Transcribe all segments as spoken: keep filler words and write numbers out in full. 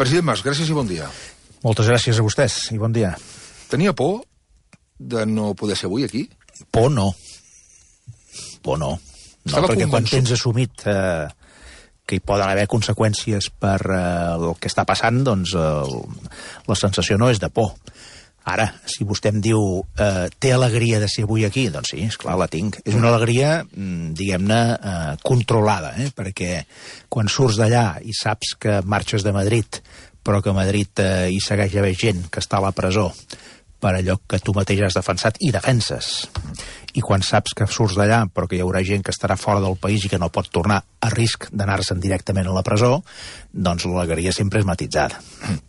President Mas, gràcies i bon dia. Moltes gràcies a vostès i bon dia. Tenia por de no poder ser avui aquí? Por no. Por no. No, Estava perquè quan convençut. tens assumit eh, que hi poden haver conseqüències per eh, el que està passant, doncs eh, la sensació no és de por. Ara, si vostè em diu eh, té alegria de ser avui aquí, doncs sí, esclar, la tinc. És una alegria, mm, diguem-ne, eh, controlada, eh? Perquè quan surts d'allà i saps que marxes de Madrid, però que a Madrid eh, hi segueix haver gent que està a la presó per allò que tu mateix has defensat i defenses. I quan saps que surts d'allà, però que hi haurà gent que estarà fora del país i que no pot tornar a risc d'anar-se'n directament a la presó, doncs l'alegria sempre és matitzada.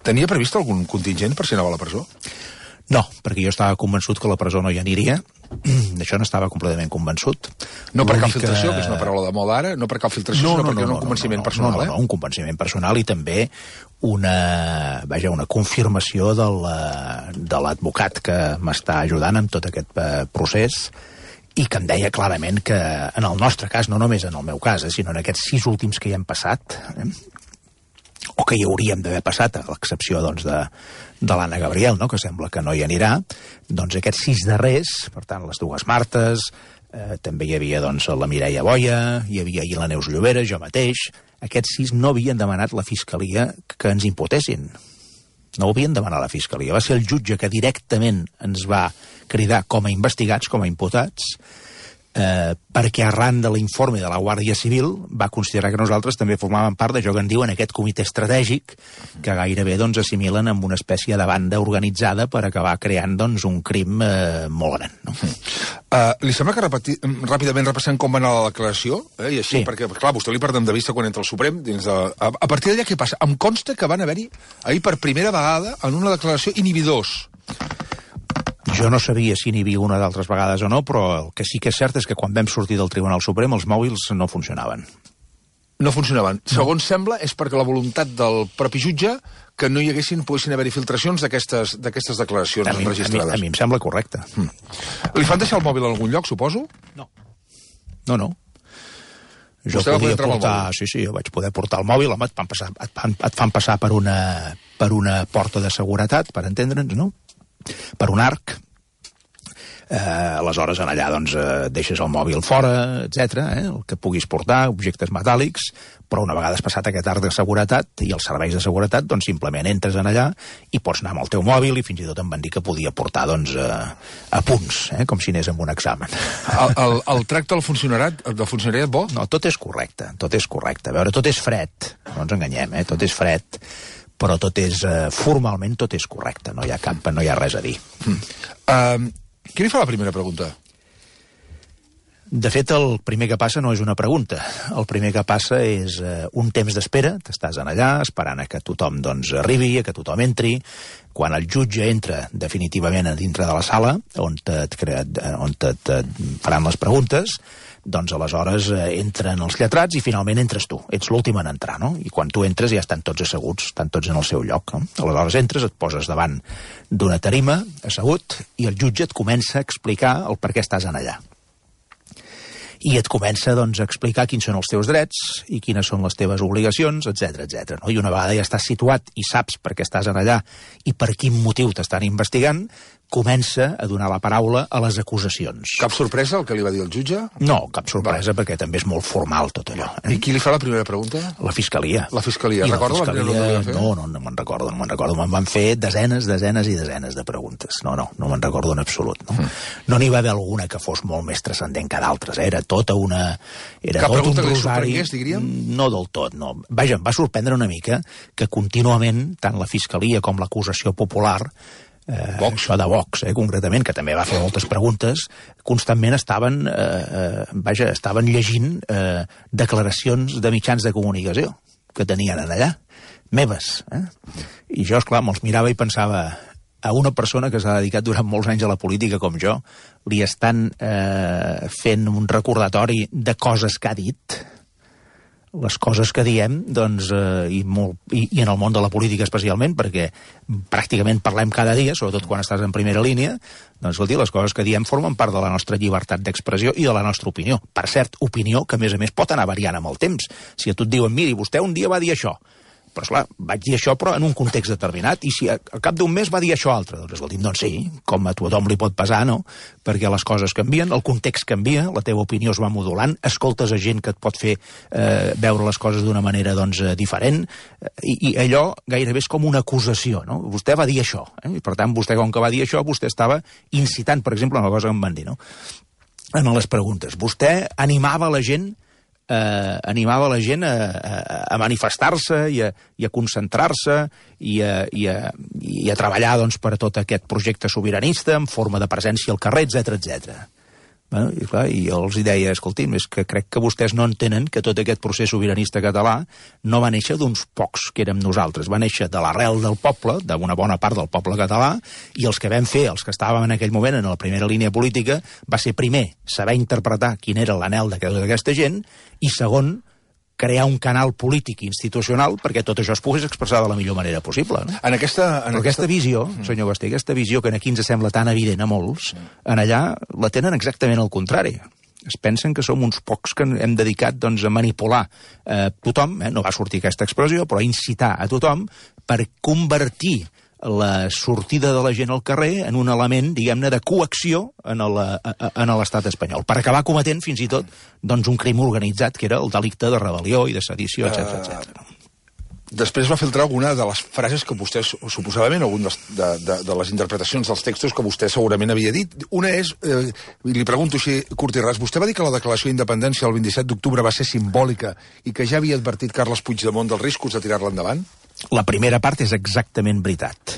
Tenia previst algun contingent per si anava a la presó? No, perquè jo estava convençut que a la presó no hi aniria. D'això no estava completament convençut. No per cap L'única- filtració, que és una paraula de moda ara, no per cap filtració, sinó perquè era un convenciment personal, no, no, eh? no, un convenciment personal i també una, vaja, una confirmació de la- de l'advocat que m'està ajudant amb tot aquest eh, procés i que em deia clarament que en el nostre cas, no només en el meu cas, eh, sinó en aquests sis últims que hi hem passat, eh, o que hi hauríem d'haver passat, a l'excepció doncs, de, de l'Anna Gabriel, no? Que sembla que no hi anirà, doncs aquests sis darrers, per tant, les dues Martes, eh, també hi havia doncs, la Mireia Boia, hi havia ahir la Neus Llobera, jo mateix, aquests sis no havien demanat la Fiscalia que ens imputessin. No ho havien demanat la Fiscalia. Va ser el jutge que directament ens va cridar com a investigats, com a imputats, eh, perquè arran de l'informe de la Guàrdia Civil va considerar que nosaltres també formàvem part d'allò que en diuen aquest comitè estratègic que gairebé doncs, assimilen amb una espècie de banda organitzada per acabar creant doncs, un crim eh, molt gran. No? Uh, li sembla que repeti, ràpidament repassem com va anar la declaració? Eh? I així, Sí. perquè, clar, vostè li perdem de vista quan entra al Suprem. Dins de... a, a partir d'allà, què passa? Em consta que van haver-hi ahir per primera vegada en una declaració inhibidors. Jo no sabia si n'hi havia una d'altres vegades o no, però el que sí que és cert és que quan vam sortir del Tribunal Suprem els mòbils no funcionaven. No funcionaven. No. Segons sembla, és perquè la voluntat del propi jutge que no hi haguessin, poguessin haver-hi filtracions d'aquestes d'aquestes declaracions A mi, a, mi, enregistrades. a mi em sembla correcte. Mm. Li fan deixar el mòbil en algun lloc, suposo? No. No, no. Jo Vostè va poder podia entrar amb el portar... mòbil? Sí, sí, jo vaig poder portar el mòbil. Home, et fan passar, et fan, et fan passar per, una, per una porta de seguretat, per entendre'ns, no? Per un arc. Eh, aleshores, en allà, doncs, eh, deixes el mòbil fora, etcètera, eh, el que puguis portar, objectes metàl·lics, però una vegada has passat aquest arc de seguretat i els serveis de seguretat, doncs simplement entres en allà i pots anar amb el teu mòbil i fins i tot em van dir que podia portar, doncs, eh, apunts, eh, com si anés amb un examen. El, el, el tracte del funcionariat, del funcionariat bo? No, tot és correcte, tot és correcte. A veure, tot és fred, no ens enganyem, eh? Tot és fred, però tot és, eh, formalment tot és correcte, no hi ha cap, no hi ha res a dir. Mm. Uh, qui li fa la primera pregunta? De fet, el primer que passa no és una pregunta. El primer que passa és eh, un temps d'espera. T'estàs en allà esperant a que tothom doncs, arribi, a que tothom entri. Quan el jutge entra definitivament a dintre de la sala, on, et, on et, et faran les preguntes, doncs aleshores eh, entren els lletrats i finalment entres tu. Ets l'últim en entrar, no? I quan tu entres ja estan tots asseguts, estan tots en el seu lloc. No? Aleshores entres, et poses davant d'una tarima, assegut, i el jutge et comença a explicar el per què estàs en allà. I et comença doncs, a explicar quins són els teus drets i quines són les teves obligacions, etcètera, etcètera. No? I una vegada ja estàs situat i saps per què estàs en allà i per quin motiu t'estan investigant, comença a donar la paraula a les acusacions. Cap sorpresa el que li va dir el jutge? No, cap sorpresa, perquè també és molt formal tot allò. Eh? I qui li fa la primera pregunta? La Fiscalia. La Fiscalia. I la Recorda la primera Fiscalia... pregunta que va fer? No, no, no me'n recordo, no me'n recordo. Me'n van fer desenes, desenes i desenes de preguntes. No, no, no me'n recordo en absolut. No mm. no n'hi va haver alguna que fos molt més transcendent que d'altres. Eh? Era tota una... Era Cap tot pregunta un que li rosari... sorprengués, diríem? No del tot, no. Vaja, em va sorprendre una mica que contínuament, tant la Fiscalia com l'acusació popular, Eh, Vox. això de Vox, eh, concretament, que també va fer moltes preguntes, constantment estaven, eh, eh, vaja, estaven llegint eh, declaracions de mitjans de comunicació que tenien allà, meves. Eh? I jo, esclar, me'ls mirava i pensava, a una persona que s'ha dedicat durant molts anys a la política com jo, li estan eh, fent un recordatori de coses que ha dit, les coses que diem, doncs, eh, i, molt, i, i en el món de la política especialment, perquè pràcticament parlem cada dia, sobretot quan estàs en primera línia, doncs, escolti, les coses que diem formen part de la nostra llibertat d'expressió i de la nostra opinió. Per cert, opinió que, a més a més, pot anar variant amb el temps. Si a tu et diuen, miri, vostè un dia va dir això, Però, esclar, vaig dir això, però en un context determinat, i si al cap d'un mes va dir això altre, doncs, escolti'm, doncs sí, com a tothom li pot pesar, no? Perquè les coses canvien, el context canvia, la teva opinió es va modulant, escoltes a gent que et pot fer eh, veure les coses d'una manera, doncs, eh, diferent, i, i allò gairebé és com una acusació, no? Vostè va dir això, eh? I per tant, vostè, com que va dir això, vostè estava incitant, per exemple, una cosa que em van dir, no? En les preguntes. Vostè animava la gent Eh, animava la gent a, a, a manifestar-se i a, i a concentrar-se i a, i, a, i a treballar, doncs, per a tot aquest projecte sobiranista en forma de presència al carrer, etcètera, etcètera. Bueno, i, clar, i jo els deia, escolti'm, és que crec que vostès no entenen que tot aquest procés sobiranista català no va néixer d'uns pocs que érem nosaltres, va néixer de l'arrel del poble, d'una bona part del poble català, i els que vam fer, els que estàvem en aquell moment en la primera línia política, va ser primer saber interpretar quin era l'anhel d'aquesta gent, i segon, crear un canal polític i institucional perquè tot això es pogués expressar de la millor manera possible. No? En aquesta, en Però aquesta, aquesta visió, senyor Basté, aquesta visió que aquí ens sembla tan evident a molts, en allà la tenen exactament al contrari. Es pensen que som uns pocs que hem dedicat, doncs, a manipular eh, tothom, eh, no va sortir aquesta expressió, però a incitar a tothom per convertir la sortida de la gent al carrer en un element, diguem-ne, de coacció en l'estat espanyol, per acabar cometent fins i tot, doncs, un crim organitzat que era el delicte de rebel·lió i de sedició, etcètera, etcètera. Després va filtrar alguna de les frases que vostè, suposadament, alguna de, de, de les interpretacions dels textos que vostè segurament havia dit. Una és, eh, li pregunto així, curt i ras, vostè va dir que la declaració d'independència el vint-i-set d'octubre va ser simbòlica i que ja havia advertit Carles Puigdemont dels riscos de tirar-la endavant? La primera part és exactament veritat.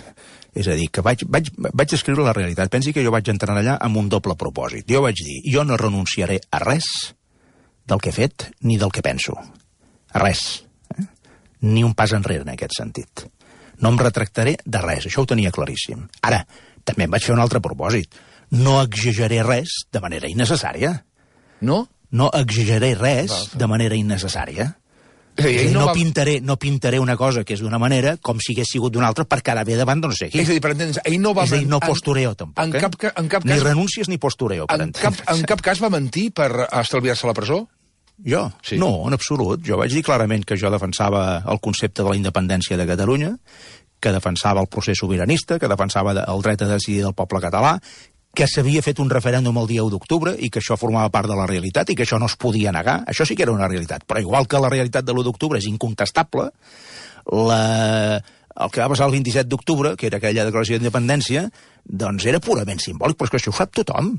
És a dir, que vaig, vaig, vaig escriure la realitat. Pensi que jo vaig entrar allà amb un doble propòsit. Jo vaig dir, jo no renunciaré a res del que he fet ni del que penso. A res. Eh? Ni un pas enrere en aquest sentit. No em retractaré de res, això ho tenia claríssim. Ara, també em vaig fer un altre propòsit. No exageraré res de manera innecessària. No? No exageraré res de manera innecessària. És dir, no, no, va... pintaré, no pintaré una cosa que és d'una manera com si hagués sigut d'una altra per quedar bé davant de no sé qui. És a dir, per entendre's, ell no va... És a dir, no postureo, tampoc. En, eh? cap, en cap cas... Ni renúncies ni postureo, per en cap, en cap cas va mentir per estalviar-se la presó? Jo? Sí. No, en absolut. Jo vaig dir clarament que jo defensava el concepte de la independència de Catalunya, que defensava el procés sobiranista, que defensava el dret a decidir del poble català, que s'havia fet un referèndum el dia u d'octubre i que això formava part de la realitat i que això no es podia negar. Això sí que era una realitat. Però igual que la realitat de l'u d'octubre és incontestable, la... el que va passar el vint-i-set d'octubre, que era aquella declaració d'independència, doncs era purament simbòlic, però és que això ho sap tothom.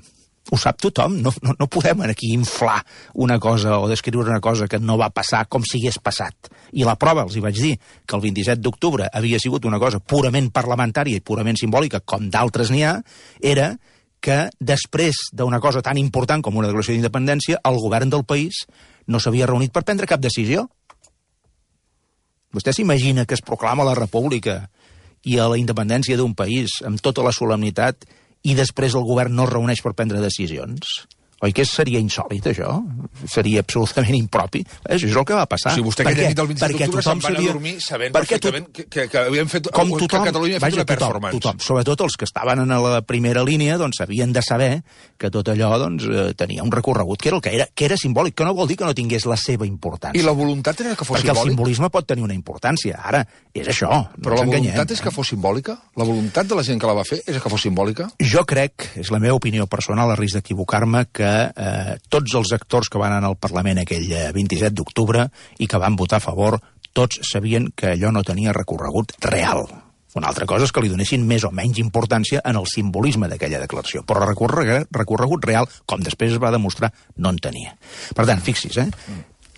Ho sap tothom. No, no, no podem aquí inflar una cosa o descriure una cosa que no va passar com si hagués passat. I la prova, els hi vaig dir, que el vint-i-set d'octubre havia sigut una cosa purament parlamentària i purament simbòlica, com d'altres n'hi ha, era que després d'una cosa tan important com una declaració d'independència, el govern del país no s'havia reunit per prendre cap decisió. Vostè s'imagina que es proclama la república i a la independència d'un país amb tota la solemnitat i després el govern no es reuneix per prendre decisions? Oi que seria insòlit, això? Seria absolutament impropi. Això és el que va passar. O sigui, vostè aquella nit del vint-i-set d'octubre se'n van a dormir sabent perfectament que, que, que havien fet... Com tothom, que Catalunya havia fet vaja, una performance. Tothom, tothom, sobretot els que estaven en la primera línia, doncs havien de saber que tot allò doncs, eh, tenia un recorregut que era el que era, que era simbòlic, que no vol dir que no tingués la seva importància. I la voluntat era que fos Perquè simbòlic? Perquè el simbolisme pot tenir una importància. Ara, és això. Però no la enganyem, voluntat és que fos simbòlica? La voluntat de la gent que la va fer és que fos simbòlica? Jo crec, és la meva opinió personal, a risc d'equivocar-me, que eh, tots els actors que van anar al Parlament aquell vint-i-set d'octubre i que van votar a favor, tots sabien que allò no tenia recorregut real. Una altra cosa és que li donessin més o menys importància en el simbolisme d'aquella declaració, però recorregut, recorregut real, com després es va demostrar, no en tenia. Per tant, fixi's, eh?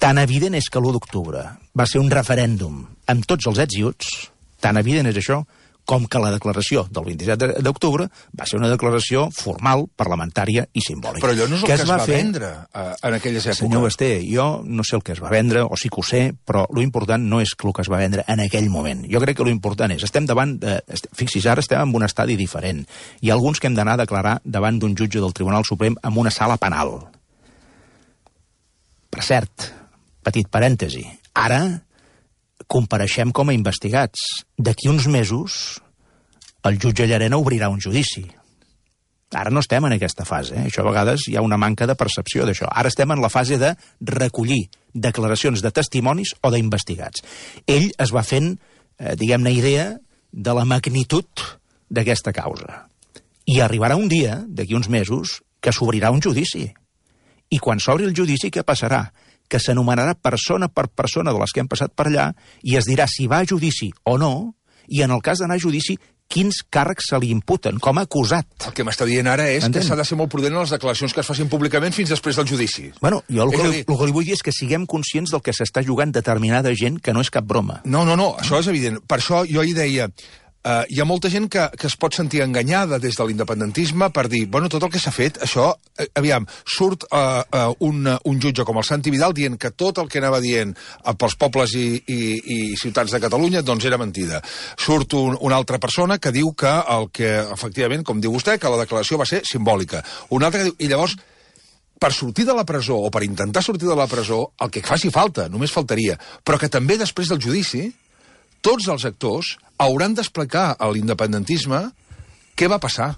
Tan evident és que l'u d'octubre va ser un referèndum amb tots els ets i uts, tan evident és això, com que la declaració del vint-i-set d'octubre va ser una declaració formal, parlamentària i simbòlica. Però allò no és el que, que es va, va fer... vendre uh, en aquelles èpoques. Senyor Basté, jo no sé el que es va vendre, o sí que ho sé, però lo important no és el que es va vendre en aquell moment. Jo crec que lo important és, estem davant, de, fixis, ara estem en un estadi diferent. Hi ha alguns que hem d'anar a declarar davant d'un jutge del Tribunal Suprem en una sala penal. Per cert, petit parèntesi, ara compareixem com a investigats. D'aquí uns mesos el jutge Llarena obrirà un judici. Ara no estem en aquesta fase. Eh? Això a vegades hi ha una manca de percepció d'això. Ara estem en la fase de recollir declaracions de testimonis o d'investigats. Ell es va fent, eh, diguem-ne, idea de la magnitud d'aquesta causa. I arribarà un dia, d'aquí uns mesos, que s'obrirà un judici. I quan s'obri el judici, què passarà? Que s'anomenarà persona per persona de les que hem passat per allà i es dirà si va a judici o no, i en el cas d'anar a judici, quins càrrecs se li imputen com a acusat. El que m'està dient ara és Entén? que s'ha de ser molt prudent en les declaracions que es facin públicament fins després del judici. Bueno, jo el que, dir... el que li vull dir és que siguem conscients del que s'està jugant determinada gent, que no és cap broma. No, no, no, això és evident. Per això jo hi deia... Uh, hi ha molta gent que, que es pot sentir enganyada des de l'independentisme per dir, bueno, tot el que s'ha fet, això, eh, aviam, surt uh, uh, un, uh, un jutge com el Santi Vidal dient que tot el que anava dient uh, pels pobles i, i, i ciutats de Catalunya, doncs era mentida. Surt un, una altra persona que diu que el que, efectivament, com diu vostè, que la declaració va ser simbòlica. Una altra que diu, i llavors, per sortir de la presó, o per intentar sortir de la presó, el que faci falta, només faltaria, però que també després del judici, tots els actors hauran d'explicar a l'independentisme què va passar.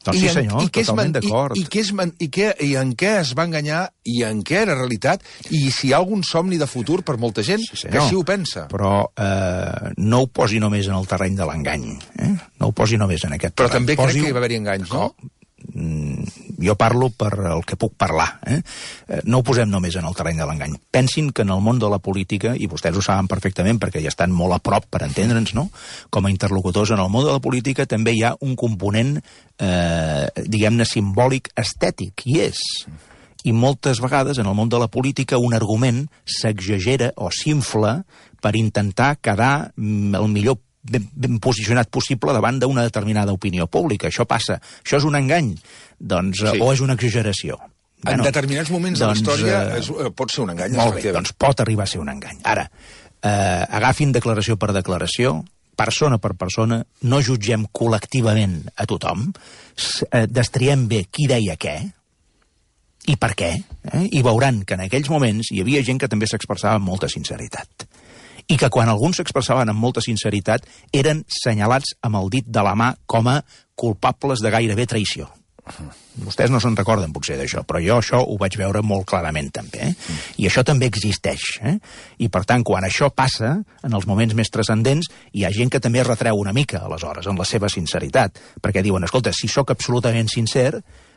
Doncs sí, senyor, I, i totalment d'acord. I, i, què és man, i, què, I en què es va enganyar, i en què era realitat, i si hi ha algun somni de futur per molta gent sí, que així ho pensa. Però eh, no ho posi només en el terreny de l'engany. Eh? No ho posi només en aquest Però terreny. també posi... crec que hi va haver-hi enganys, no? Jo parlo per el que puc parlar. Eh? No ho posem només en el terreny de l'engany. Pensin que en el món de la política, i vostès ho saben perfectament perquè ja estan molt a prop per entendre'ns, no? Com a interlocutors en el món de la política també hi ha un component, eh, diguem-ne, simbòlic estètic, i és. I moltes vegades en el món de la política un argument s'exagera o s'infla per intentar quedar el millor Ben, ben posicionat possible davant d'una determinada opinió pública. Això passa. Això és un engany? Doncs, sí. O és una exageració? En bueno, determinats moments doncs, de la història eh, és, pot ser un engany. Molt bé, doncs pot arribar a ser un engany. Ara, eh, agafin declaració per declaració, persona per persona, no jutgem col·lectivament a tothom, eh, destriem bé qui deia què, i per què, eh? I veuran que en aquells moments hi havia gent que també s'expressava amb molta sinceritat. I que quan alguns s'expressaven amb molta sinceritat eren senyalats amb el dit de la mà com a culpables de gairebé traïció. Vostès no se'n recorden potser d'això, però jo això ho vaig veure molt clarament també. Eh? I això també existeix. Eh? I per tant, quan això passa, en els moments més transcendents, hi ha gent que també retreu una mica, aleshores, en la seva sinceritat, perquè diuen, escolta, si sóc absolutament sincer,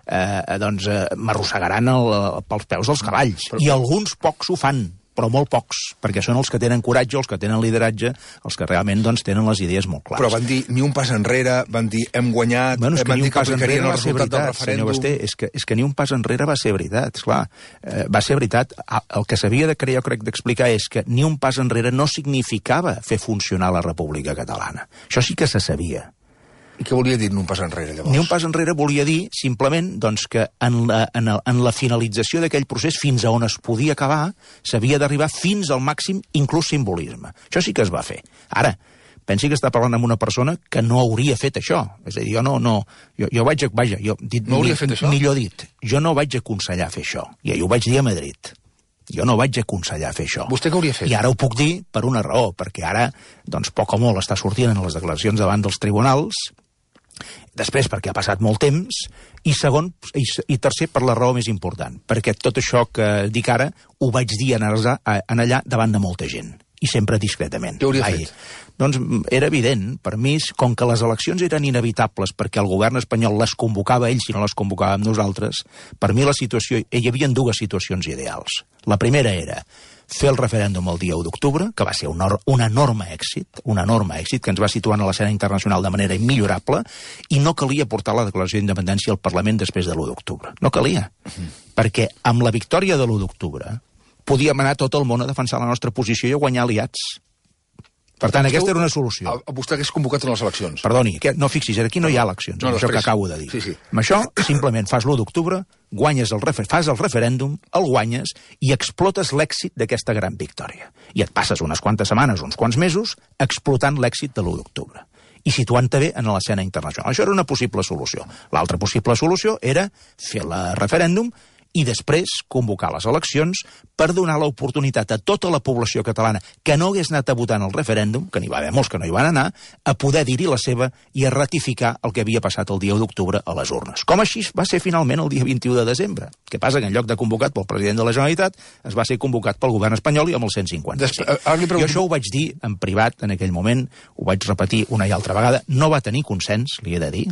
eh, doncs eh, m'arrossegaran el, pels peus dels cavalls. I alguns pocs ho fan, però molt pocs, perquè són els que tenen coratge, els que tenen lideratge, els que realment doncs, tenen les idees molt clares. Però van dir ni un pas enrere, van dir hem guanyat, bueno, és que van ni dir un pas que aplicarien enrere el va ser resultat del veritat, senyor referèndum. Basté, és que, és que ni un pas enrere va ser veritat, esclar. Eh, va ser veritat. El que s'havia de crear, jo crec, d'explicar és que ni un pas enrere no significava fer funcionar la República Catalana. Això sí que se sabia. I què volia dir ni un pas enrere, llavors? Ni un pas enrere volia dir, simplement, doncs, que en la, en el, en la finalització d'aquell procés, fins a on es podia acabar, s'havia d'arribar fins al màxim, inclús simbolisme. Això sí que es va fer. Ara, pensi que està parlant amb una persona que no hauria fet això. És a dir, jo no... no jo, jo vaig... Vaja, jo, dit, no hauria fet això? Millor dit, jo no vaig aconsellar fer això. I ho vaig dir a Madrid. Jo no vaig aconsellar fer això. Vostè què hauria fet? I ara ho puc dir per una raó, perquè ara, doncs, poc o molt està sortint en les declaracions davant dels tribunals. Després, perquè ha passat molt temps, i segon, i, i tercer, per la raó més important, perquè tot això que dic ara ho vaig dir en, en allà davant de molta gent, i sempre discretament. Què hauria Ai, fet? Doncs era evident, per mi, com que les eleccions eren inevitables perquè el govern espanyol les convocava ell si no les convocàvem nosaltres, per mi la situació, hi havia dues situacions ideals. La primera era fer el referèndum el dia u d'octubre, que va ser un, un enorme èxit, un enorme èxit que ens va situar a l'escena internacional de manera immillorable, i no calia portar la declaració d'independència al Parlament després de l'u d'octubre. No calia. Uh-huh. Perquè amb la victòria de l'u d'octubre podíem anar tot el món a defensar la nostra posició i a guanyar aliats. Per tant, aquesta era una solució. A, a vostè hagués convocat en les eleccions. Perdoni, que, no fixis, aquí no hi ha eleccions, no, això que acabo de dir. Sí, sí. Amb això, simplement fas l'u d'octubre, guanyes el refer fas el referèndum, el guanyes i explotes l'èxit d'aquesta gran victòria. I et passes unes quantes setmanes, uns quants mesos, explotant l'èxit de l'u d'octubre. I situant-te bé en l'escena internacional. Això era una possible solució. L'altra possible solució era fer el referèndum i després convocar les eleccions per donar l'oportunitat a tota la població catalana que no hagués anat a votar en el referèndum, que n'hi va haver molts que no hi van anar, a poder dir-hi la seva i a ratificar el que havia passat el dia u d'octubre a les urnes. Com així va ser finalment el dia vint-i-u de desembre. Què passa? Que en lloc de convocat pel president de la Generalitat es va ser convocat pel govern espanyol i amb el cent cinquanta-cinc. Pregunto... Jo això ho vaig dir en privat en aquell moment, ho vaig repetir una i altra vegada, no va tenir consens, li he de dir,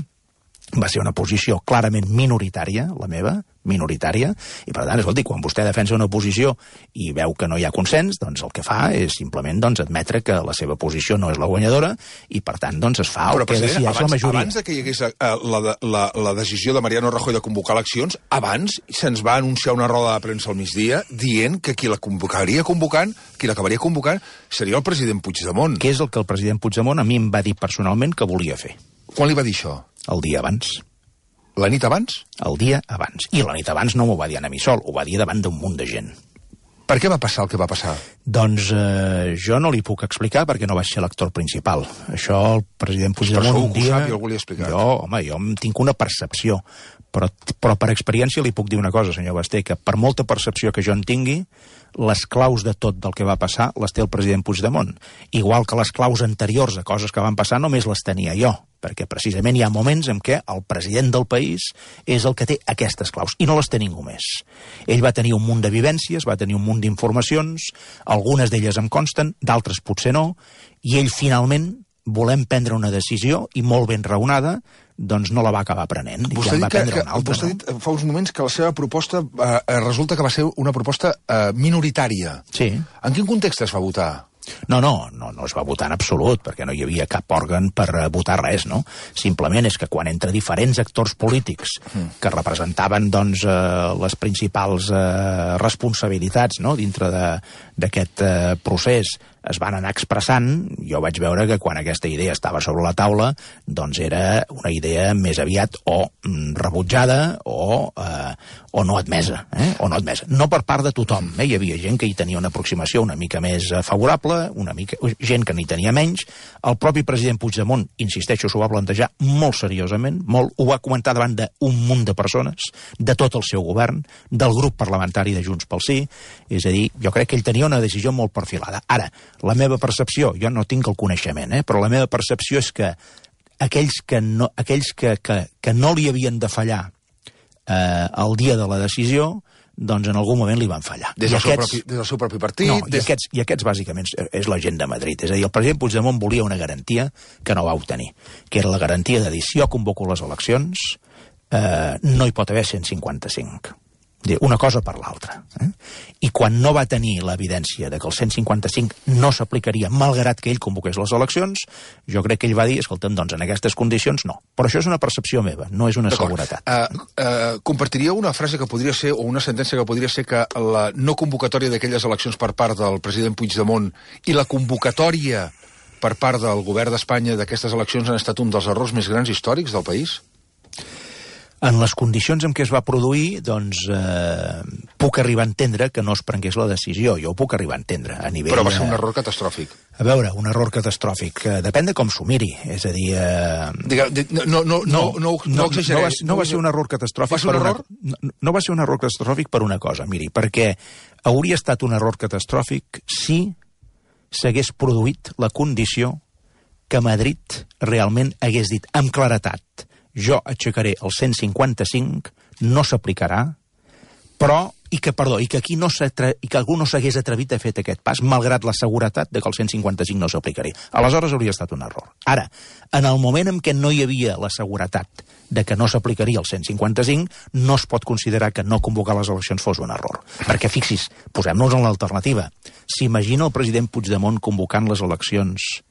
va ser una posició clarament minoritària, la meva, minoritària, i per tant, escolti, quan vostè defensa una posició i veu que no hi ha consens, doncs el que fa és simplement doncs, admetre que la seva posició no és la guanyadora i per tant doncs es fa el que decideix la majoria. Abans de que hi hagués uh, la, la, la decisió de Mariano Rajoy de convocar eleccions, abans se'ns va anunciar una roda de premsa al migdia dient que qui la convocaria convocant, qui l'acabaria convocant, seria el president Puigdemont. Què és el que el president Puigdemont a mi em va dir personalment que volia fer? Quan li va dir això? El dia abans. La nit abans? El dia abans. I la nit abans no m'ho va dir a mi sol, ho va dir davant d'un munt de gent. Per què va passar el que va passar? Doncs eh, jo no li puc explicar perquè no vaig ser l'actor principal. Això el president Puigdemont un dia... Sap, jo, algú li ha explicat. Jo, home, jo tinc una percepció, però, però per experiència li puc dir una cosa, senyor Basté, que per molta percepció que jo en tingui, les claus de tot del que va passar les té el president Puigdemont. Igual que les claus anteriors a coses que van passar només les tenia jo, perquè precisament hi ha moments en què el president del país és el que té aquestes claus, i no les té ningú més. Ell va tenir un munt de vivències, va tenir un munt d'informacions, algunes d'elles em consten, d'altres potser no, i ell finalment, volem prendre una decisió, i molt ben raonada, doncs no la va acabar prenent. Vostè, ja va que, prendre que, una altra, vostè no? ha dit fa uns moments que la seva proposta eh, resulta que va ser una proposta eh, minoritària. Sí. En quin context es va votar? No, no, no, no es va votar en absolut, perquè no hi havia cap òrgan per uh, votar res, no? Simplement és que quan entre diferents actors polítics mm. que representaven, doncs, uh, les principals uh, responsabilitats, no?, dintre d'aquest uh, procés, es van anar expressant, jo vaig veure que quan aquesta idea estava sobre la taula, doncs era una idea més aviat o mm, rebutjada o, eh, o no admesa, eh? o no admesa. No per part de tothom, eh? Hi havia gent que hi tenia una aproximació una mica més favorable, una mica, gent que n'hi tenia menys. El propi president Puigdemont, insisteixo, s'ho va plantejar molt seriosament, molt, ho va comentar davant d'un munt de persones, de tot el seu govern, del grup parlamentari de Junts pel Sí, és a dir, jo crec que ell tenia una decisió molt perfilada. Ara, la meva percepció, jo no tinc el coneixement, eh, però la meva percepció és que aquells que no, aquells que, que, que no li havien de fallar eh, el dia de la decisió, doncs en algun moment li van fallar. Des del, aquests, seu, propi, des del seu propi partit? No, des... i, aquests, i aquests bàsicament és la gent de Madrid. És a dir, el president Puigdemont volia una garantia que no va obtenir, que era la garantia de dir, si jo convoco les eleccions, eh, no hi pot haver cent cinquanta-cinc. Una cosa per l'altra. Eh? I quan no va tenir l'evidència de que el cent cinquanta-cinc no s'aplicaria, malgrat que ell convoqués les eleccions, jo crec que ell va dir, escolta'm, doncs en aquestes condicions no. Però això és una percepció meva, no és una seguretat. Uh, uh, compartiria una frase que podria ser, o una sentència que podria ser, que la no convocatòria d'aquelles eleccions per part del president Puigdemont i la convocatòria per part del govern d'Espanya d'aquestes eleccions han estat un dels errors més grans històrics del país? En les condicions en què es va produir, doncs, eh, puc arribar a entendre que no es prengués la decisió. Jo ho puc arribar a entendre a nivell... Però va ser un error catastròfic. A veure, un error catastròfic. Eh, depèn de com s'ho miri. És a dir... Eh... Digue, no, no, no, no, no, no, no exageré. No va, no va ser un error catastròfic... Va ser un error? Una, no, no va ser un error catastròfic per una cosa, miri, perquè hauria estat un error catastròfic si s'hagués produït la condició que Madrid realment hagués dit amb claretat: jo aixecaré el cent cinquanta-cinc, no s'aplicarà, però, i que, perdó, i que aquí no i que algú no s'hagués atrevit a fer aquest pas, malgrat la seguretat de que el cent cinquanta-cinc no s'aplicaria. Aleshores hauria estat un error. Ara, en el moment en què no hi havia la seguretat de que no s'aplicaria el cent cinquanta-cinc, no es pot considerar que no convocar les eleccions fos un error. Perquè, fixis, posem-nos en l'alternativa. S'imagina el president Puigdemont convocant les eleccions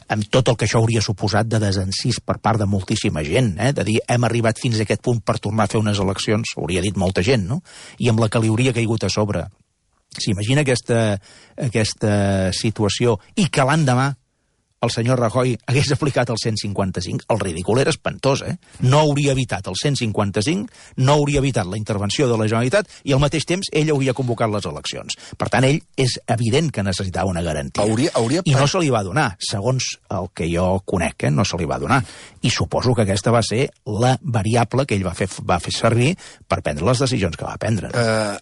amb tot el que això hauria suposat de desencís per part de moltíssima gent, eh? De dir, hem arribat fins a aquest punt per tornar a fer unes eleccions, hauria dit molta gent, no? I amb la que li hauria caigut a sobre. S'imagina aquesta, aquesta situació, i que l'endemà el senyor Rajoy hagués aplicat el cent cinquanta-cinc, el ridícul era espantós, eh? No hauria evitat el cent cinquanta-cinc, no hauria evitat la intervenció de la Generalitat i al mateix temps ell hauria convocat les eleccions. Per tant, ell és evident que necessitava una garantia. Hauria, hauria... I no se li va donar, segons el que jo conec, eh? No se li va donar. I suposo que aquesta va ser la variable que ell va fer, va fer servir per prendre les decisions que va prendre. Uh,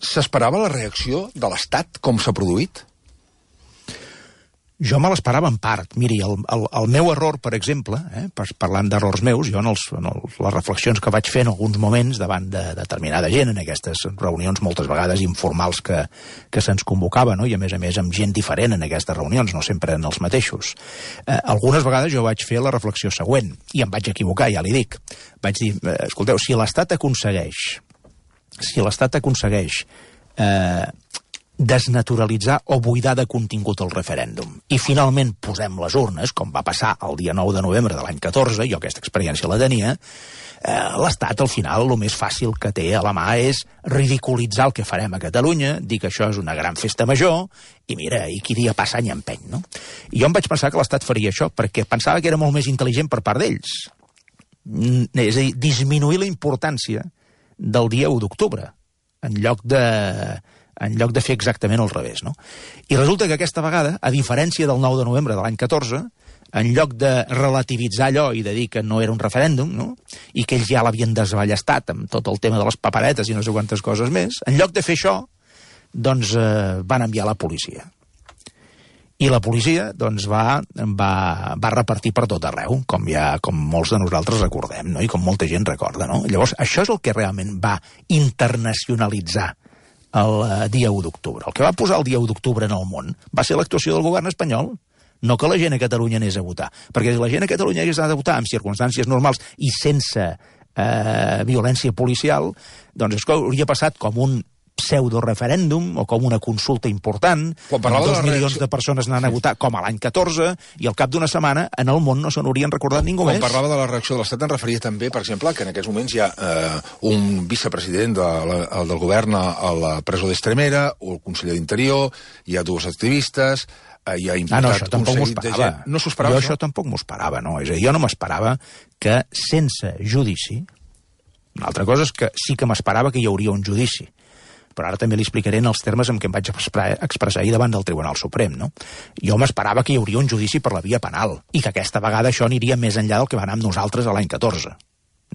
S'esperava la reacció de l'Estat, com s'ha produït? Jo me l'esperava en part. Miri, el, el, el meu error, per exemple, eh, parlant d'errors meus, jo en, els, en els, les reflexions que vaig fer en alguns moments davant de determinada gent, en aquestes reunions moltes vegades informals que, que se'ns convocava, no? I a més a més amb gent diferent en aquestes reunions, no sempre en els mateixos. Eh, algunes vegades jo vaig fer la reflexió següent, i em vaig equivocar, ja li dic. Vaig dir, eh, escolteu, si l'Estat aconsegueix, si l'Estat aconsegueix... Eh, desnaturalitzar o buidar de contingut el referèndum. I finalment posem les urnes, com va passar el dia nou de novembre de l'any catorze, jo aquesta experiència la tenia, eh, l'Estat al final el més fàcil que té a la mà és ridiculitzar el que farem a Catalunya, dir que això és una gran festa major, i mira, i qui dia passa any empeny, no? I jo em vaig pensar que l'Estat faria això, perquè pensava que era molt més intel·ligent per part d'ells. És a dir, disminuir la importància del dia u d'octubre, en lloc de... en lloc de fer exactament al revés, no? I resulta que aquesta vegada, a diferència del nou de novembre de l'any catorze, en lloc de relativitzar allò i de dir que no era un referèndum, no?, i que ells ja l'havien desballestat amb tot el tema de les paperetes i no sé quantes coses més, en lloc de fer això, doncs eh, van enviar la policia. I la policia, doncs, va, va, va repartir per tot arreu, com ja, com molts de nosaltres recordem, no?, i com molta gent recorda, no? Llavors, això és el que realment va internacionalitzar el dia u d'octubre. El que va posar el dia u d'octubre en el món va ser l'actuació del govern espanyol, no que la gent a Catalunya anés a votar. Perquè si la gent a Catalunya hagués anat a votar en circumstàncies normals i sense eh, violència policial, doncs es hauria passat com un pseudo-referèndum o com una consulta important, amb dos milions de persones anant a votar, com a l'any catorze, i al cap d'una setmana en el món no se n'haurien recordat ningú més. Quan parlava de la reacció de l'Estat, en referia també, per exemple, que en aquests moments hi ha eh, un vicepresident de la, del govern a la presó d'Estremera, o el conseller d'Interior, hi ha dues activistes, eh, hi ha imputat ah, no, això un seguit de gent. No s'ho esperava, jo això? això tampoc m'ho esperava, no. És a dir, jo no m'esperava que sense judici, una altra cosa és que sí que m'esperava que hi hauria un judici, però ara també li explicaré en els termes en què em vaig expressar ahir davant del Tribunal Suprem, no? Jo m'esperava que hi hauria un judici per la via penal i que aquesta vegada això aniria més enllà del que va anar amb nosaltres a l'any catorze.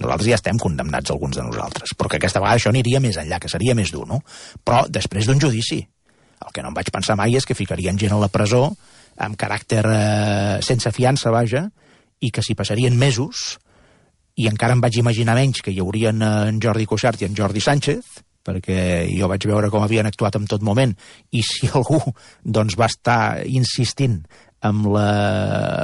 Nosaltres ja estem condemnats, alguns de nosaltres, però que aquesta vegada això aniria més enllà, que seria més dur, no? Però després d'un judici. El que no em vaig pensar mai és que ficarien gent a la presó amb caràcter eh, sense fiança, vaja, i que s'hi passarien mesos, i encara em vaig imaginar menys que hi haurien en Jordi Cuixart i en Jordi Sánchez, perquè jo vaig veure com havien actuat en tot moment, i si algú doncs, va estar insistint amb, la,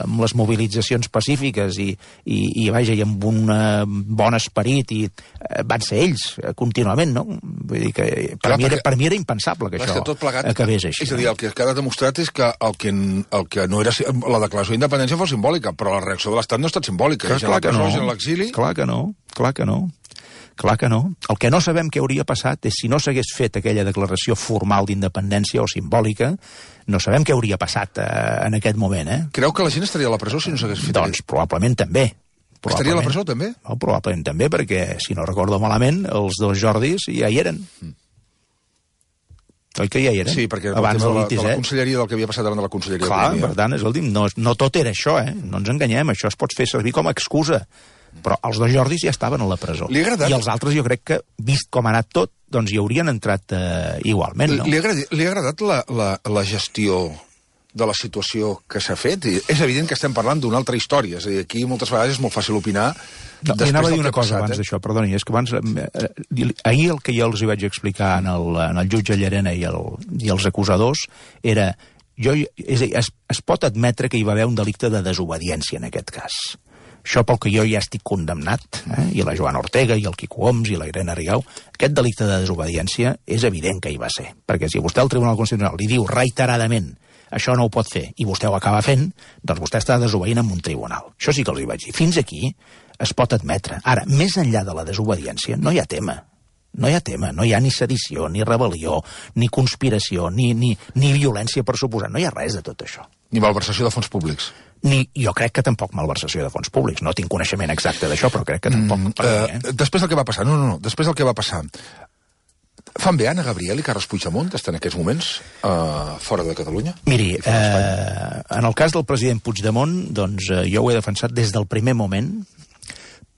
amb les mobilitzacions pacífiques i, i, i, vaja, i amb un uh, bon esperit, i uh, van ser ells uh, contínuament, no? Vull dir que per, clar, mi, era, per mi era impensable que això que plegat, acabés així. És a dir, el que ha quedat demostrat és que el que, el que no era la declaració d'independència fos simbòlica, però la reacció de l'Estat no ha estat simbòlica. Clar, clar, que no. l'exili... clar que no, clar que no. Clar que no. El que no sabem què hauria passat és si no s'hagués fet aquella declaració formal d'independència o simbòlica, no sabem què hauria passat eh, en aquest moment, eh? Creu que la gent estaria a la presó si no s'hagués fet? Doncs probablement també. Probablement. Estaria a la presó també? No, probablement també, perquè, si no recordo malament, els dos Jordis ja hi eren. Mm. Oi que ja hi eren? Sí, perquè abans de la, de la conselleria del que havia passat davant de la conselleria. Clar, per tant, escolti'm, no, no tot era això, eh? No ens enganyem, això es pot fer servir com a excusa. Però els dos Jordis ja estaven a la presó. Li ha agradat? I els altres jo crec que, vist com ha anat tot, doncs hi haurien entrat eh, igualment, no? Li ha agradat, li ha agradat la, la, la gestió de la situació que s'ha fet? I és evident que estem parlant d'una altra història. És a dir, aquí moltes vegades és molt fàcil opinar. No, li anava a dir una cosa passat, abans eh? d'això, perdoni, és que abans, eh, ahir el que jo els hi vaig explicar en el, en el jutge Llarena i, el, i els acusadors era, jo, és a dir, es, es pot admetre que hi va haver un delicte de desobediència en aquest cas. Això pel que jo ja estic condemnat, eh? I la Joana Ortega, i el Quico Homs, i la Irene Rigau, aquest delicte de desobediència és evident que hi va ser. Perquè si vostè al Tribunal Constitucional li diu reiteradament això no ho pot fer, i vostè ho acaba fent, doncs vostè està desobeint en un tribunal. Això sí que els hi vaig dir. Fins aquí es pot admetre. Ara, més enllà de la desobediència, no hi ha tema. No hi ha tema, no hi ha ni sedició, ni rebel·lió, ni conspiració, ni, ni, ni violència per suposar. No hi ha res de tot això. Ni malversació de fons públics. Ni, jo crec que tampoc malversació de fons públics. No tinc coneixement exacte d'això, però crec que tampoc... Mm, eh, eh? Després del que va passar, no, no, no, després del que va passar... Fan bé Anna Gabriel i Carles Puigdemont estan en aquests moments uh, fora de Catalunya? Miri, eh, en el cas del president Puigdemont, doncs eh, jo ho he defensat des del primer moment,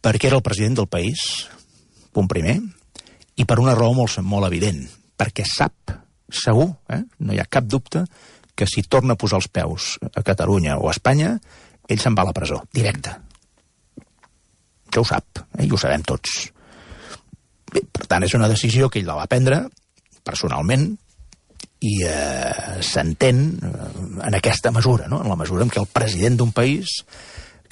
perquè era el president del país, punt primer, i per una raó molt, molt evident, perquè sap, segur, eh, no hi ha cap dubte, que si torna a posar els peus a Catalunya o a Espanya, ell se'n va a la presó, directe. Això ho sap, eh, i ho sabem tots. Bé, per tant, és una decisió que ell la va prendre personalment i eh, s'entén eh, en aquesta mesura, no? En la mesura en què el president d'un país,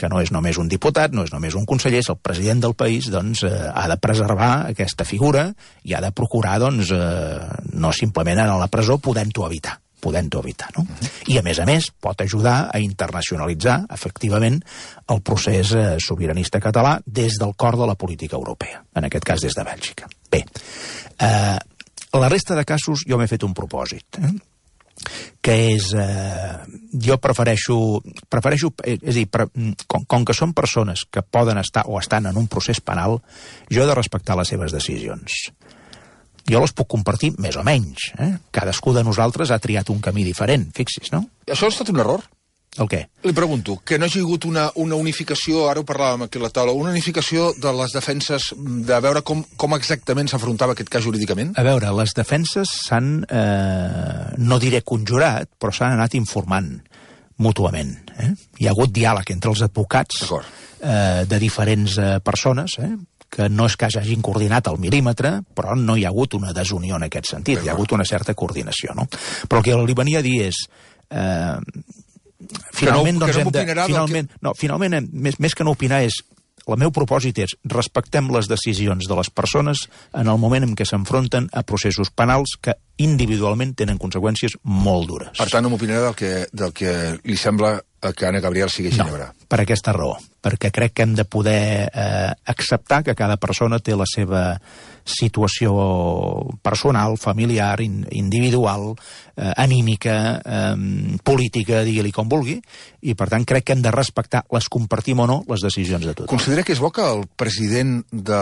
que no és només un diputat, no és només un conseller, és el president del país, doncs eh, ha de preservar aquesta figura i ha de procurar, doncs, eh, no simplement anar a la presó podent-ho evitar. podent-ho evitar, no? Uh-huh. I, a més a més, pot ajudar a internacionalitzar, efectivament, el procés eh, sobiranista català des del cor de la política europea, en aquest cas des de Bèlgica. Bé, eh, la resta de casos jo m'he fet un propòsit, eh? que és... Eh, jo prefereixo... prefereixo és a dir, pre, com, com que són persones que poden estar o estan en un procés penal, jo he de respectar les seves decisions. Jo les puc compartir més o menys. Eh? Cadascú de nosaltres ha triat un camí diferent, fixis, no? Això ha estat un error? El què? Li pregunto, que no hagi hagut una, una unificació, ara ho parlàvem aquí a la taula, una unificació de les defenses, de veure com, com exactament s'afrontava aquest cas jurídicament? A veure, les defenses s'han, eh, no diré conjurat, però s'han anat informant mútuament. Eh? Hi ha hagut diàleg entre els advocats eh, de diferents eh, persones, eh? que no és que hagin coordinat al mil·límetre, però no hi ha hagut una desunió en aquest sentit, hi ha hagut una certa coordinació, no? Però el que li venia a dir és... Eh, finalment, que no, doncs, que no hem de... Finalment, que... no, finalment hem, més, més que no opinar és... El meu propòsit és respectem les decisions de les persones en el moment en què s'enfronten a processos penals que individualment tenen conseqüències molt dures. Per tant, no m'opinarà del que, del que li sembla que Anna Gabriel sigui Ginebra. No, per aquesta raó. Perquè crec que hem de poder eh, acceptar que cada persona té la seva situació personal, familiar, in, individual, eh, anímica, eh, política, digui-li com vulgui, i per tant crec que hem de respectar, les compartim o no, les decisions de tothom. Considera que és bo que el president de,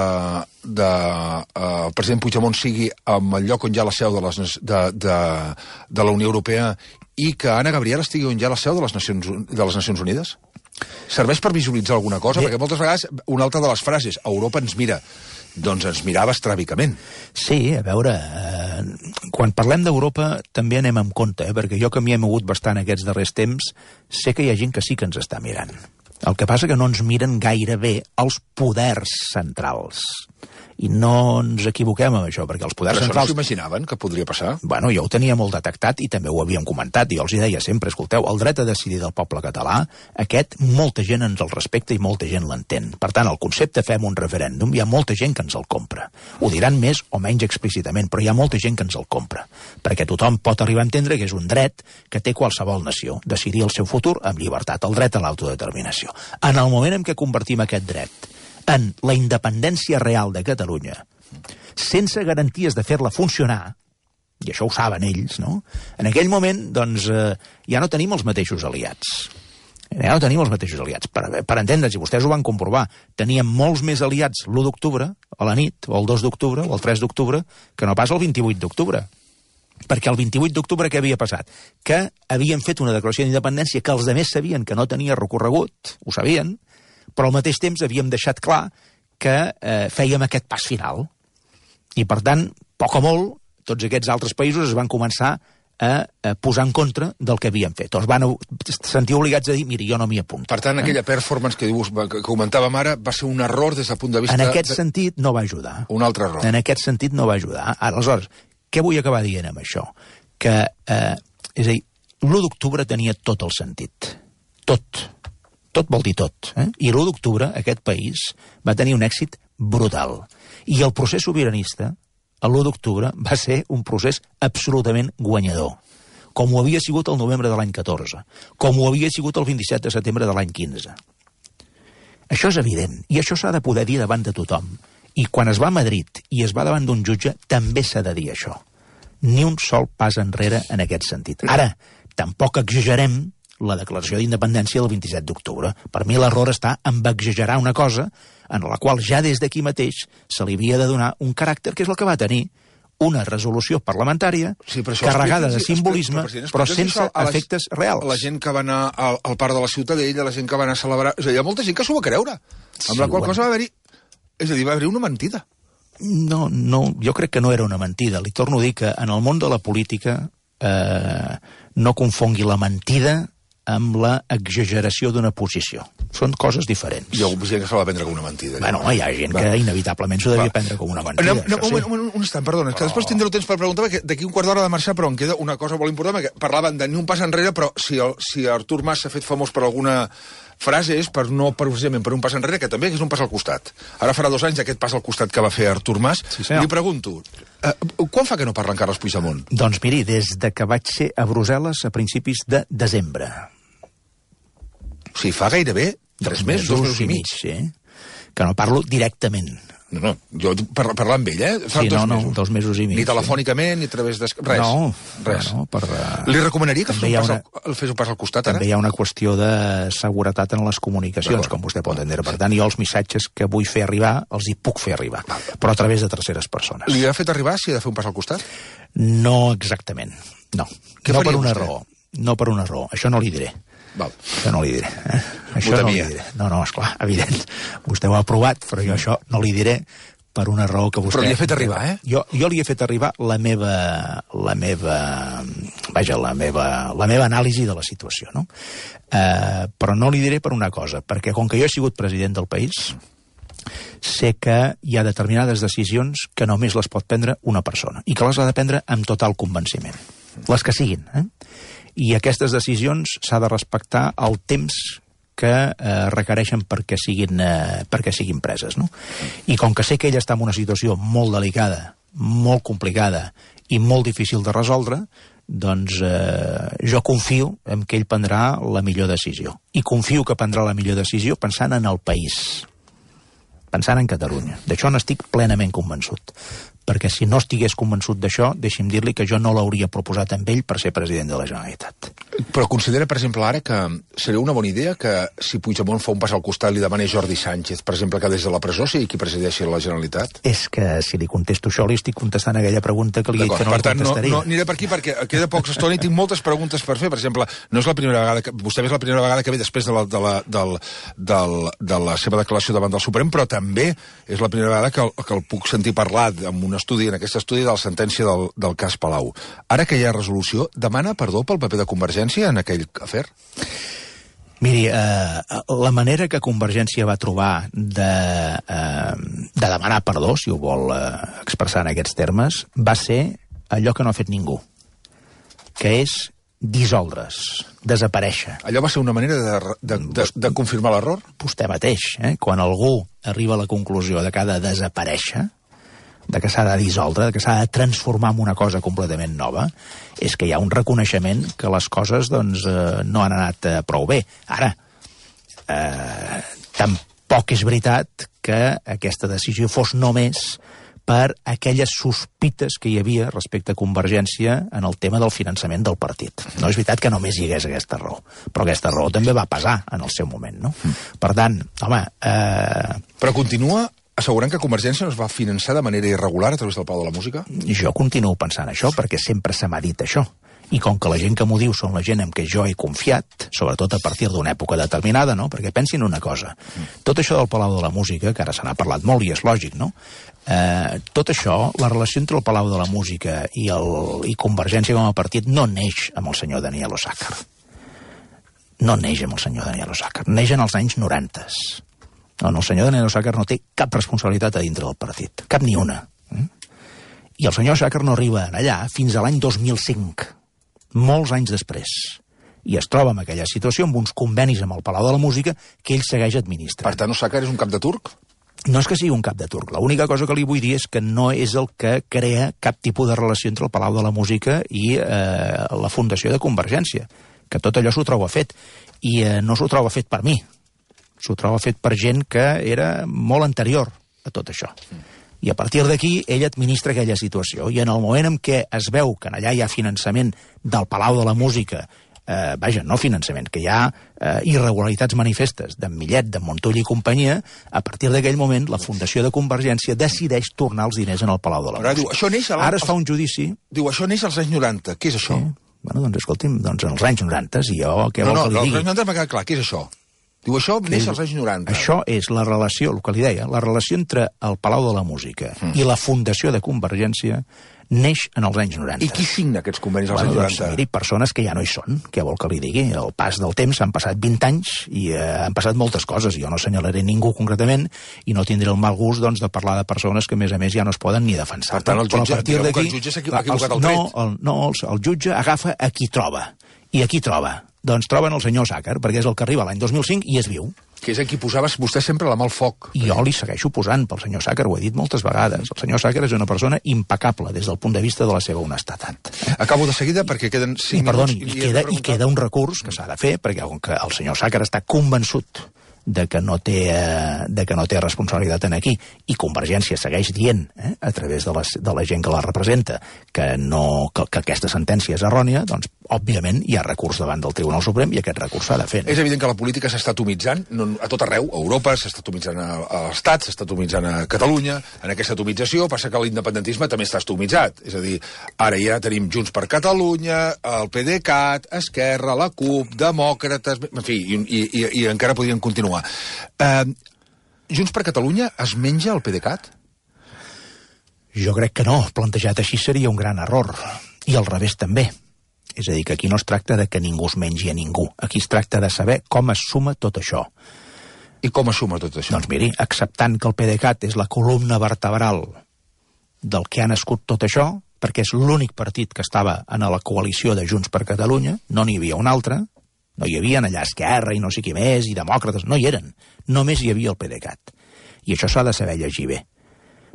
de, uh, el president Puigdemont sigui en el lloc on hi ha la seu de, les, de, de, de la Unió Europea i que Anna Gabriel estigui on hi ha la seu de les Nacions, de les Nacions Unides? Serveix per visualitzar alguna cosa? Bé. Perquè moltes vegades, una altra de les frases, Europa ens mira, doncs ens mirava estràbicament. Sí, a veure, eh, quan parlem d'Europa també anem amb compte, eh, perquè jo que m'hi he mogut bastant aquests darrers temps, sé que hi ha gent que sí que ens està mirant. El que passa que no ens miren gaire bé els poders centrals. I no ens equivoquem amb això, perquè els poders Però centrals... Però això no s'imaginaven que podria passar? Bueno, jo ho tenia molt detectat i també ho havíem comentat. Jo els hi deia sempre, escolteu, el dret a decidir del poble català, aquest, molta gent ens el respecta i molta gent l'entén. Per tant, el concepte fem un referèndum, hi ha molta gent que ens el compra. Ho diran més o menys explícitament, però hi ha molta gent que ens el compra. Perquè tothom pot arribar a entendre que és un dret que té qualsevol nació, decidir el seu futur amb llibertat, el dret a l'autodeterminació. En el moment en què convertim aquest dret en la independència real de Catalunya, sense garanties de fer-la funcionar, i això ho saben ells, no? En aquell moment, doncs, eh, ja no tenim els mateixos aliats. Ja no tenim els mateixos aliats. Per, per entendre'ns, i vostès ho van comprovar, teníem molts més aliats l'u d'octubre, a la nit, o el dos d'octubre, o el tres d'octubre, que no pas el vint-i-vuit d'octubre. Perquè el vint-i-vuit d'octubre què havia passat? Que havien fet una declaració d'independència que els altres sabien que no tenia recorregut, ho sabien, però al mateix temps havíem deixat clar que eh, fèiem aquest pas final. I, per tant, poc o molt, tots aquests altres països es van començar a, a posar en contra del que havien fet. Els van sentir obligats a dir, mira, jo no m'hi apunto. Per tant, aquella performance que, dius, que comentàvem ara va ser un error des del punt de vista... En aquest de... sentit no va ajudar. Un altre error. En aquest sentit no va ajudar. Aleshores, què vull acabar dient amb això? Que, eh, és a dir, l'u d'octubre tenia tot el sentit. Tot. Tot vol dir tot. Eh? I l'u d'octubre aquest país va tenir un èxit brutal. I el procés sobiranista, l'u d'octubre, va ser un procés absolutament guanyador. Com ho havia sigut el novembre de l'any catorze. Com ho havia sigut el vint-i-set de setembre de l'any quinze. Això és evident. I això s'ha de poder dir davant de tothom. I quan es va a Madrid i es va davant d'un jutge, també s'ha de dir això. Ni un sol pas enrere en aquest sentit. Ara, tampoc exagerem la declaració d'independència del vint-i-set d'octubre. Per mi l'error està en exagerar una cosa en la qual ja des d'aquí mateix se li havia de donar un caràcter que és el que va tenir una resolució parlamentària sí, carregada de simbolisme, però, però sense a les, efectes reals. La gent que va anar al, al parc de la Ciutadella, la gent que va anar a celebrar... És a dir, hi ha molta gent que s'ho va creure, amb sí, la qual bueno. cosa va haver-hi... És a dir, va haver-hi una mentida. No, no, jo crec que no era una mentida. Li torno a dir que en el món de la política eh, no confongui la mentida amb la exageració d'una posició. Són coses diferents. Hi ha gent que se l'ha de prendre com una mentida. Bueno, hi ha gent va. que inevitablement s'ho devia va. prendre com una mentida. No, no, un, sí. un, un instant, perdona, però... que després tindreu temps per preguntar, perquè d'aquí un quart d'hora de marxar, però em queda una cosa molt important, perquè parlaven de ni un pas enrere, però si, el, si Artur Mas s'ha fet famós per alguna frase és per no precisament per un pas enrere, que també és un pas al costat. Ara farà dos anys aquest pas al costat que va fer Artur Mas. Sí, li pregunto, eh, quan fa que no parla en Carles Puigdemont? Doncs miri, des de que vaig ser a Brussel·les a principis de desembre. O sigui, fa gairebé tres mesos, dos mesos i mig. Sí, que no parlo directament. No, no, jo par parlar amb ell, eh? Fa sí, dos no, no, mesos. dos mesos i mig. Ni telefònicament, sí. ni a través de... Res. No, res. No, per, uh... Li recomanaria que fes un, una... al... el fes un pas al costat, també ara? També hi ha una qüestió de seguretat en les comunicacions, com vostè pot entendre. Per tant, jo els missatges que vull fer arribar, els hi puc fer arribar, però a través de terceres persones. Li ha fet arribar si ha de fer un pas al costat? No exactament, no. Què no per una vostè? raó. No per una raó. Això no li diré. Val. Això no li diré. Eh? Això no li diré. No, no, esclar, evident. Vostè ho ha aprovat, però jo això no li diré per una raó que vostè... Però li ha fet arribar, eh? Jo, jo li he fet arribar la meva... la meva... vaja, la meva, la meva anàlisi de la situació, no? Eh, però no li diré per una cosa, perquè com que jo he sigut president del país, sé que hi ha determinades decisions que només les pot prendre una persona, i que les ha de prendre amb total convenciment. Les que siguin, eh? I aquestes decisions s'ha de respectar el temps que eh, requereixen perquè siguin, eh, perquè siguin preses, no? I com que sé que ella està en una situació molt delicada, molt complicada i molt difícil de resoldre, doncs eh, jo confio en que ell prendrà la millor decisió. I confio que prendrà la millor decisió pensant en el país, pensant en Catalunya. D'això n'estic plenament convençut. Perquè si no estigués convençut d'això, deixi'm dir-li que jo no l'hauria proposat amb ell per ser president de la Generalitat. Però considera, per exemple, ara que seria una bona idea que si Puigdemont fa un pas al costat li demanés Jordi Sánchez, per exemple, que des de la presó sigui qui presideixi la Generalitat? És que si li contesto això, li estic contestant aquella pregunta que li he dit que no per tant, li contestaria. No, no aniré per aquí perquè queda poca estona i tinc moltes preguntes per fer. Per exemple, no és la primera vegada que... Vostè és la primera vegada que ve després de la, de la, del, del, de la seva declaració davant del Suprem, però també és la primera vegada que el, que el puc sentir parlar en un estudi, en aquest estudi de la sentència del, del cas Palau. Ara que hi ha resolució, demana perdó pel paper de Convergència en aquell afer? Miri, eh, la manera que Convergència va trobar de, eh, de demanar perdó, si ho vol eh, expressar en aquests termes, va ser allò que no ha fet ningú, que és dissoldre's, desaparèixer. Allò va ser una manera de, de, de, de confirmar l'error? Vostè mateix, eh? Quan algú arriba a la conclusió de que ha de desaparèixer, de que s'ha de dissoldre, de que s'ha de transformar en una cosa completament nova, és que hi ha un reconeixement que les coses doncs, eh, no han anat eh, prou bé. Ara, eh, tampoc és veritat que aquesta decisió fos només per aquelles sospites que hi havia respecte a Convergència en el tema del finançament del partit. No és veritat que només hi hagués aquesta raó, però aquesta raó també va pesar en el seu moment, no? Mm. Per tant, home... Eh... Però continua assegurant que Convergència no es va finançar de manera irregular a través del Palau de la Música? Jo continuo pensant això, perquè sempre se m'ha dit això. I com que la gent que m'ho diu són la gent en què jo he confiat, sobretot a partir d'una època determinada, no? Perquè pensin una cosa, tot això del Palau de la Música, que ara se n'ha parlat molt i és lògic, no? Eh, tot això, la relació entre el Palau de la Música i, el, i Convergència com a partit no neix amb el senyor Daniel Osàcar. No neix amb el senyor Daniel Osàcar, neix en els anys noranta. No, no, el senyor Daniel Osàcar no té cap responsabilitat a dintre del partit, cap ni una. I el senyor Osàcar no arriba allà fins a l'any dos mil cinc, molts anys després, i es troba en aquella situació amb uns convenis amb el Palau de la Música que ell segueix administrant. Per tant, Osàcar és un cap de turc? No és que sigui un cap de turc. L'única cosa que li vull dir és que no és el que crea cap tipus de relació entre el Palau de la Música i eh, la Fundació de Convergència, que tot allò s'ho troba fet. I eh, no s'ho troba fet per mi, s'ho troba fet per gent que era molt anterior a tot això. I a partir d'aquí ell administra aquella situació. I en el moment en què es veu que allà hi ha finançament del Palau de la Música, eh, vaja, no finançament, que hi ha eh, irregularitats manifestes d'en Millet, d'en Montull i companyia, a partir d'aquell moment la Fundació de Convergència decideix tornar els diners en el Palau de la Ara, Música. diu, això neix a la... Ara es fa un judici... Diu, això neix als anys noranta. Què és això? Sí. Bueno, doncs escolti'm, doncs en els anys noranta, si jo què no, vol no, que li digui? No, digui? als anys noranta m'ha quedat clar. Què és això? Diu, això neix als anys noranta. Això és la relació, el que li deia, la relació entre el Palau de la Música mm. i la Fundació de Convergència neix en els anys noranta. I qui signa aquests convenis als bueno, anys doncs, noranta? miri, persones que ja no hi són, què vol que li digui? El pas del temps, han passat vint anys i eh, han passat moltes coses. Jo no assenyalaré ningú concretament i no tindré el mal gust doncs, de parlar de persones que, a més a més, ja no es poden ni defensar. Per tant, el jutge, diguem que el jutge s'ha equivocat el tret. No, el, no el, el jutge agafa a qui troba. I a qui troba? Doncs troben el senyor Sàcar, perquè és el que arriba l'any dos mil cinc i és viu. Que és a qui posaves vostè sempre la mà al foc. I jo li segueixo posant pel senyor Sàcar, ho he dit moltes vegades. El senyor Sàcar és una persona impecable des del punt de vista de la seva honestedat. Acabo de seguida perquè queden cinc I, perdoni, minuts. I, queda, I queda un recurs que s'ha de fer, perquè com que el senyor Sàcar està convençut de que no té, eh, de que no té responsabilitat en aquí, i Convergència segueix dient, eh, a través de, les, de la gent que la representa, que, no, que, que aquesta sentència és errònia, doncs, òbviament, hi ha recurs davant del Tribunal Suprem i aquest recurs s'ha de fer. És evident que la política s'està atomitzant no, a tot arreu, a Europa, s'està atomitzant a, a l'Estat, s'està atomitzant a Catalunya. En aquesta atomització passa que l'independentisme també està atomitzat. És a dir, ara ja tenim Junts per Catalunya, el PDeCAT, Esquerra, la CUP, Demòcrates... En fi, i, i, i, i encara podrien continuar. Uh, Junts per Catalunya es menja el PDeCAT? Jo crec que no. Plantejat així seria un gran error. I al revés també. És a dir, que aquí no es tracta de que ningú es mengi a ningú. Aquí es tracta de saber com es suma tot això. I com es suma tot això? Doncs miri, acceptant que el PDeCAT és la columna vertebral del que ha nascut tot això, perquè és l'únic partit que estava en la coalició de Junts per Catalunya, no n'hi havia un altre, no hi havia allà Esquerra i no sé qui més, i demòcrates, no hi eren. Només hi havia el PDeCAT. I això s'ha de saber llegir bé,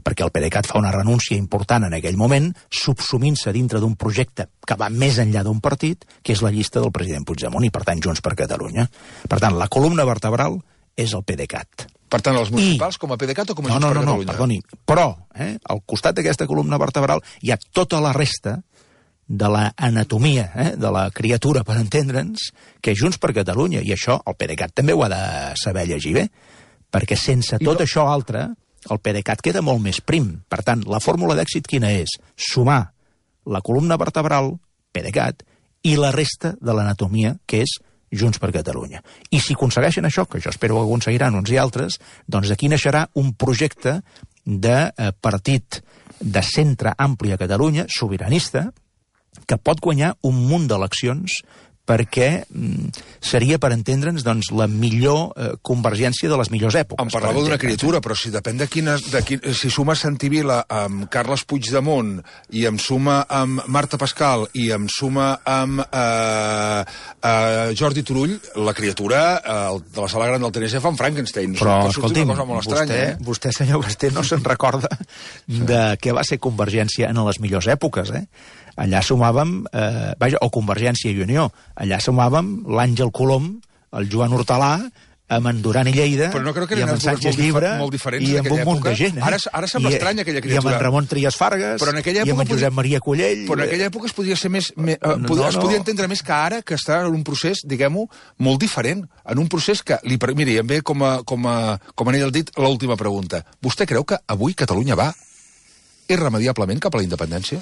perquè el PDeCAT fa una renúncia important en aquell moment, subsumint-se dintre d'un projecte que va més enllà d'un partit, que és la llista del president Puigdemont, i per tant Junts per Catalunya. Per tant, la columna vertebral és el PDeCAT. Per tant, els municipals I... com a PDeCAT o com a no, Junts no, per no, Catalunya? No, perdoni, però eh, al costat d'aquesta columna vertebral hi ha tota la resta de l'anatomia eh, de la criatura, per entendre'ns, que és Junts per Catalunya, i això el PDeCAT també ho ha de saber llegir bé, perquè sense tot no... això altre, el PDeCAT queda molt més prim. Per tant, la fórmula d'èxit quina és? Sumar la columna vertebral, PDeCAT, i la resta de l'anatomia, que és Junts per Catalunya. I si aconsegueixen això, que jo espero que aconseguiran uns i altres, doncs aquí naixerà un projecte de eh, partit de centre ampli a Catalunya, sobiranista, que pot guanyar un munt d'eleccions perquè mm, seria, per entendre'ns, doncs, la millor eh, convergència de les millors èpoques. Em parlava d'una criatura, però si depèn de quina... De quin, si suma Santi Vila amb Carles Puigdemont i em suma amb Marta Pascal i em suma amb eh, eh, Jordi Turull, la criatura eh, de la sala gran del T N C fa un Frankenstein. Però, escolti'm, vostè, estranya, eh? vostè, senyor Basté, no se'n recorda de què va ser Convergència en les millors èpoques, eh? Allà sumàvem, eh, vaja, o Convergència i Unió, allà sumàvem l'Àngel Colom, el Joan Hortalà, amb en Duran i Lleida, però no crec que i amb en Sánchez molt Llibre, molt diferents i amb un munt de gent. Eh? Ara, ara sembla I, estranya aquella criatura. I amb en Ramon Trias Fargas, però en aquella i amb en Josep podia... Maria Collell... Però en aquella època es podia ser més... més uh, no, podia, no, es podia entendre més que ara, que està en un procés, diguem-ho, molt diferent. En un procés que... Li, miri, em ve com a, com a, com a anell al dit l'última pregunta. Vostè creu que avui Catalunya va irremediablement cap a la independència?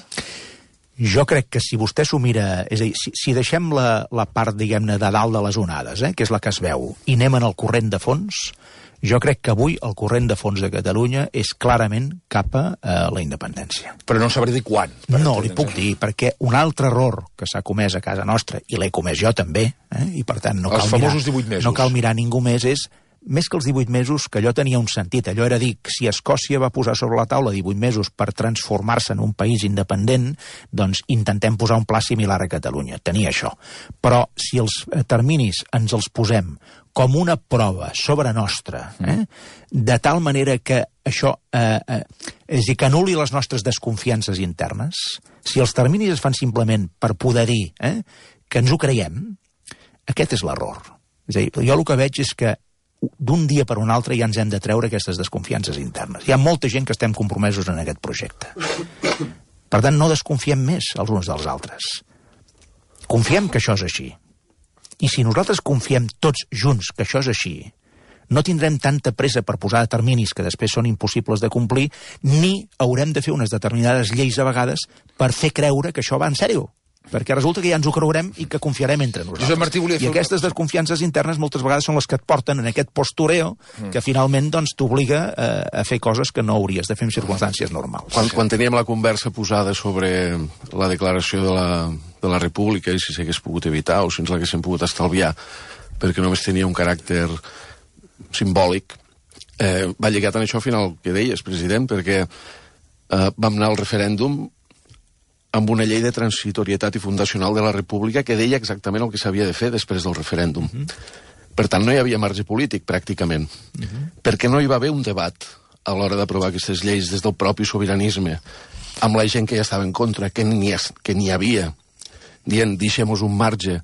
Jo crec que si vostè s'ho mira... És a dir, si, si deixem la, la part, diguem-ne, de dalt de les onades, eh, que és la que es veu, i anem en el corrent de fons, jo crec que avui el corrent de fons de Catalunya és clarament cap a eh, la independència. Però no sabré dir quan. No, li puc dir, perquè un altre error que s'ha comès a casa nostra, i l'he comès jo també, eh, i per tant no cal, els famosos mirar, divuit mesos. No cal mirar ningú més, és més que els divuit mesos, que allò tenia un sentit. Allò era dir, si Escòcia va posar sobre la taula divuit mesos per transformar-se en un país independent, doncs intentem posar un pla similar a Catalunya. Tenia això. Però si els terminis ens els posem com una prova sobre nostra, eh, de tal manera que això eh, eh, és a dir, que anul·li les nostres desconfiances internes, si els terminis es fan simplement per poder dir eh, que ens ho creiem, aquest és l'error. És a dir, jo el que veig és que d'un dia per un altre ja ens hem de treure aquestes desconfiances internes. Hi ha molta gent que estem compromesos en aquest projecte. Per tant, no desconfiem més els uns dels altres. Confiem que això és així. I si nosaltres confiem tots junts que això és així, no tindrem tanta pressa per posar terminis que després són impossibles de complir, ni haurem de fer unes determinades lleis a vegades per fer creure que això va en sèrio. Perquè resulta que ja ens ho creurem i que confiarem entre nosaltres. Josep Martí volia fer... I aquestes desconfiances internes moltes vegades són les que et porten en aquest postureo mm. que finalment doncs, t'obliga a, a fer coses que no hauries de fer en circumstàncies normals. Quan, quan teníem la conversa posada sobre la declaració de la, de la República i si s'hagués pogut evitar o si ens l'haguéssim pogut estalviar perquè només tenia un caràcter simbòlic, eh, va lligat en això al final que deies, president, perquè eh, vam anar al referèndum amb una llei de transitorietat i fundacional de la República que deia exactament el que s'havia de fer després del referèndum. Uh -huh. Per tant, no hi havia marge polític, pràcticament, uh -huh. perquè no hi va haver un debat a l'hora d'aprovar aquestes lleis des del propi sobiranisme, amb la gent que ja estava en contra, que n'hi que n'hi havia, dient, deixem-nos un marge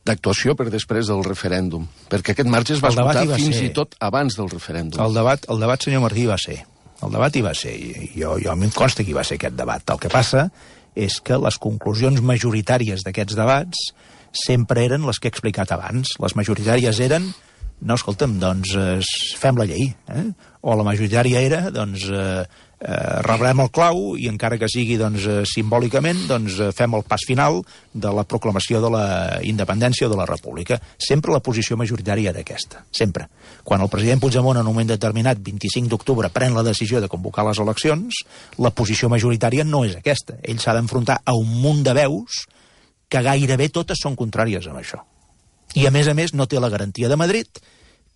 d'actuació per després del referèndum, perquè aquest marge es va esgotar fins ser... i tot abans del referèndum. El debat, el debat, senyor Martí, va ser... El debat hi va ser, i jo, jo a mi em consta que hi va ser aquest debat. El que passa és que les conclusions majoritàries d'aquests debats sempre eren les que he explicat abans. Les majoritàries eren, no, escolta'm, doncs eh, fem la llei. Eh? O la majoritària era, doncs, eh, eh, rebrem el clau i encara que sigui doncs, eh, simbòlicament, doncs eh, fem el pas final de la proclamació de la independència o de la república. Sempre la posició majoritària era aquesta, sempre. Quan el president Puigdemont en un moment determinat, vint-i-cinc d'octubre, pren la decisió de convocar les eleccions, la posició majoritària no és aquesta. Ell s'ha d'enfrontar a un munt de veus que gairebé totes són contràries amb això. I a més a més no té la garantia de Madrid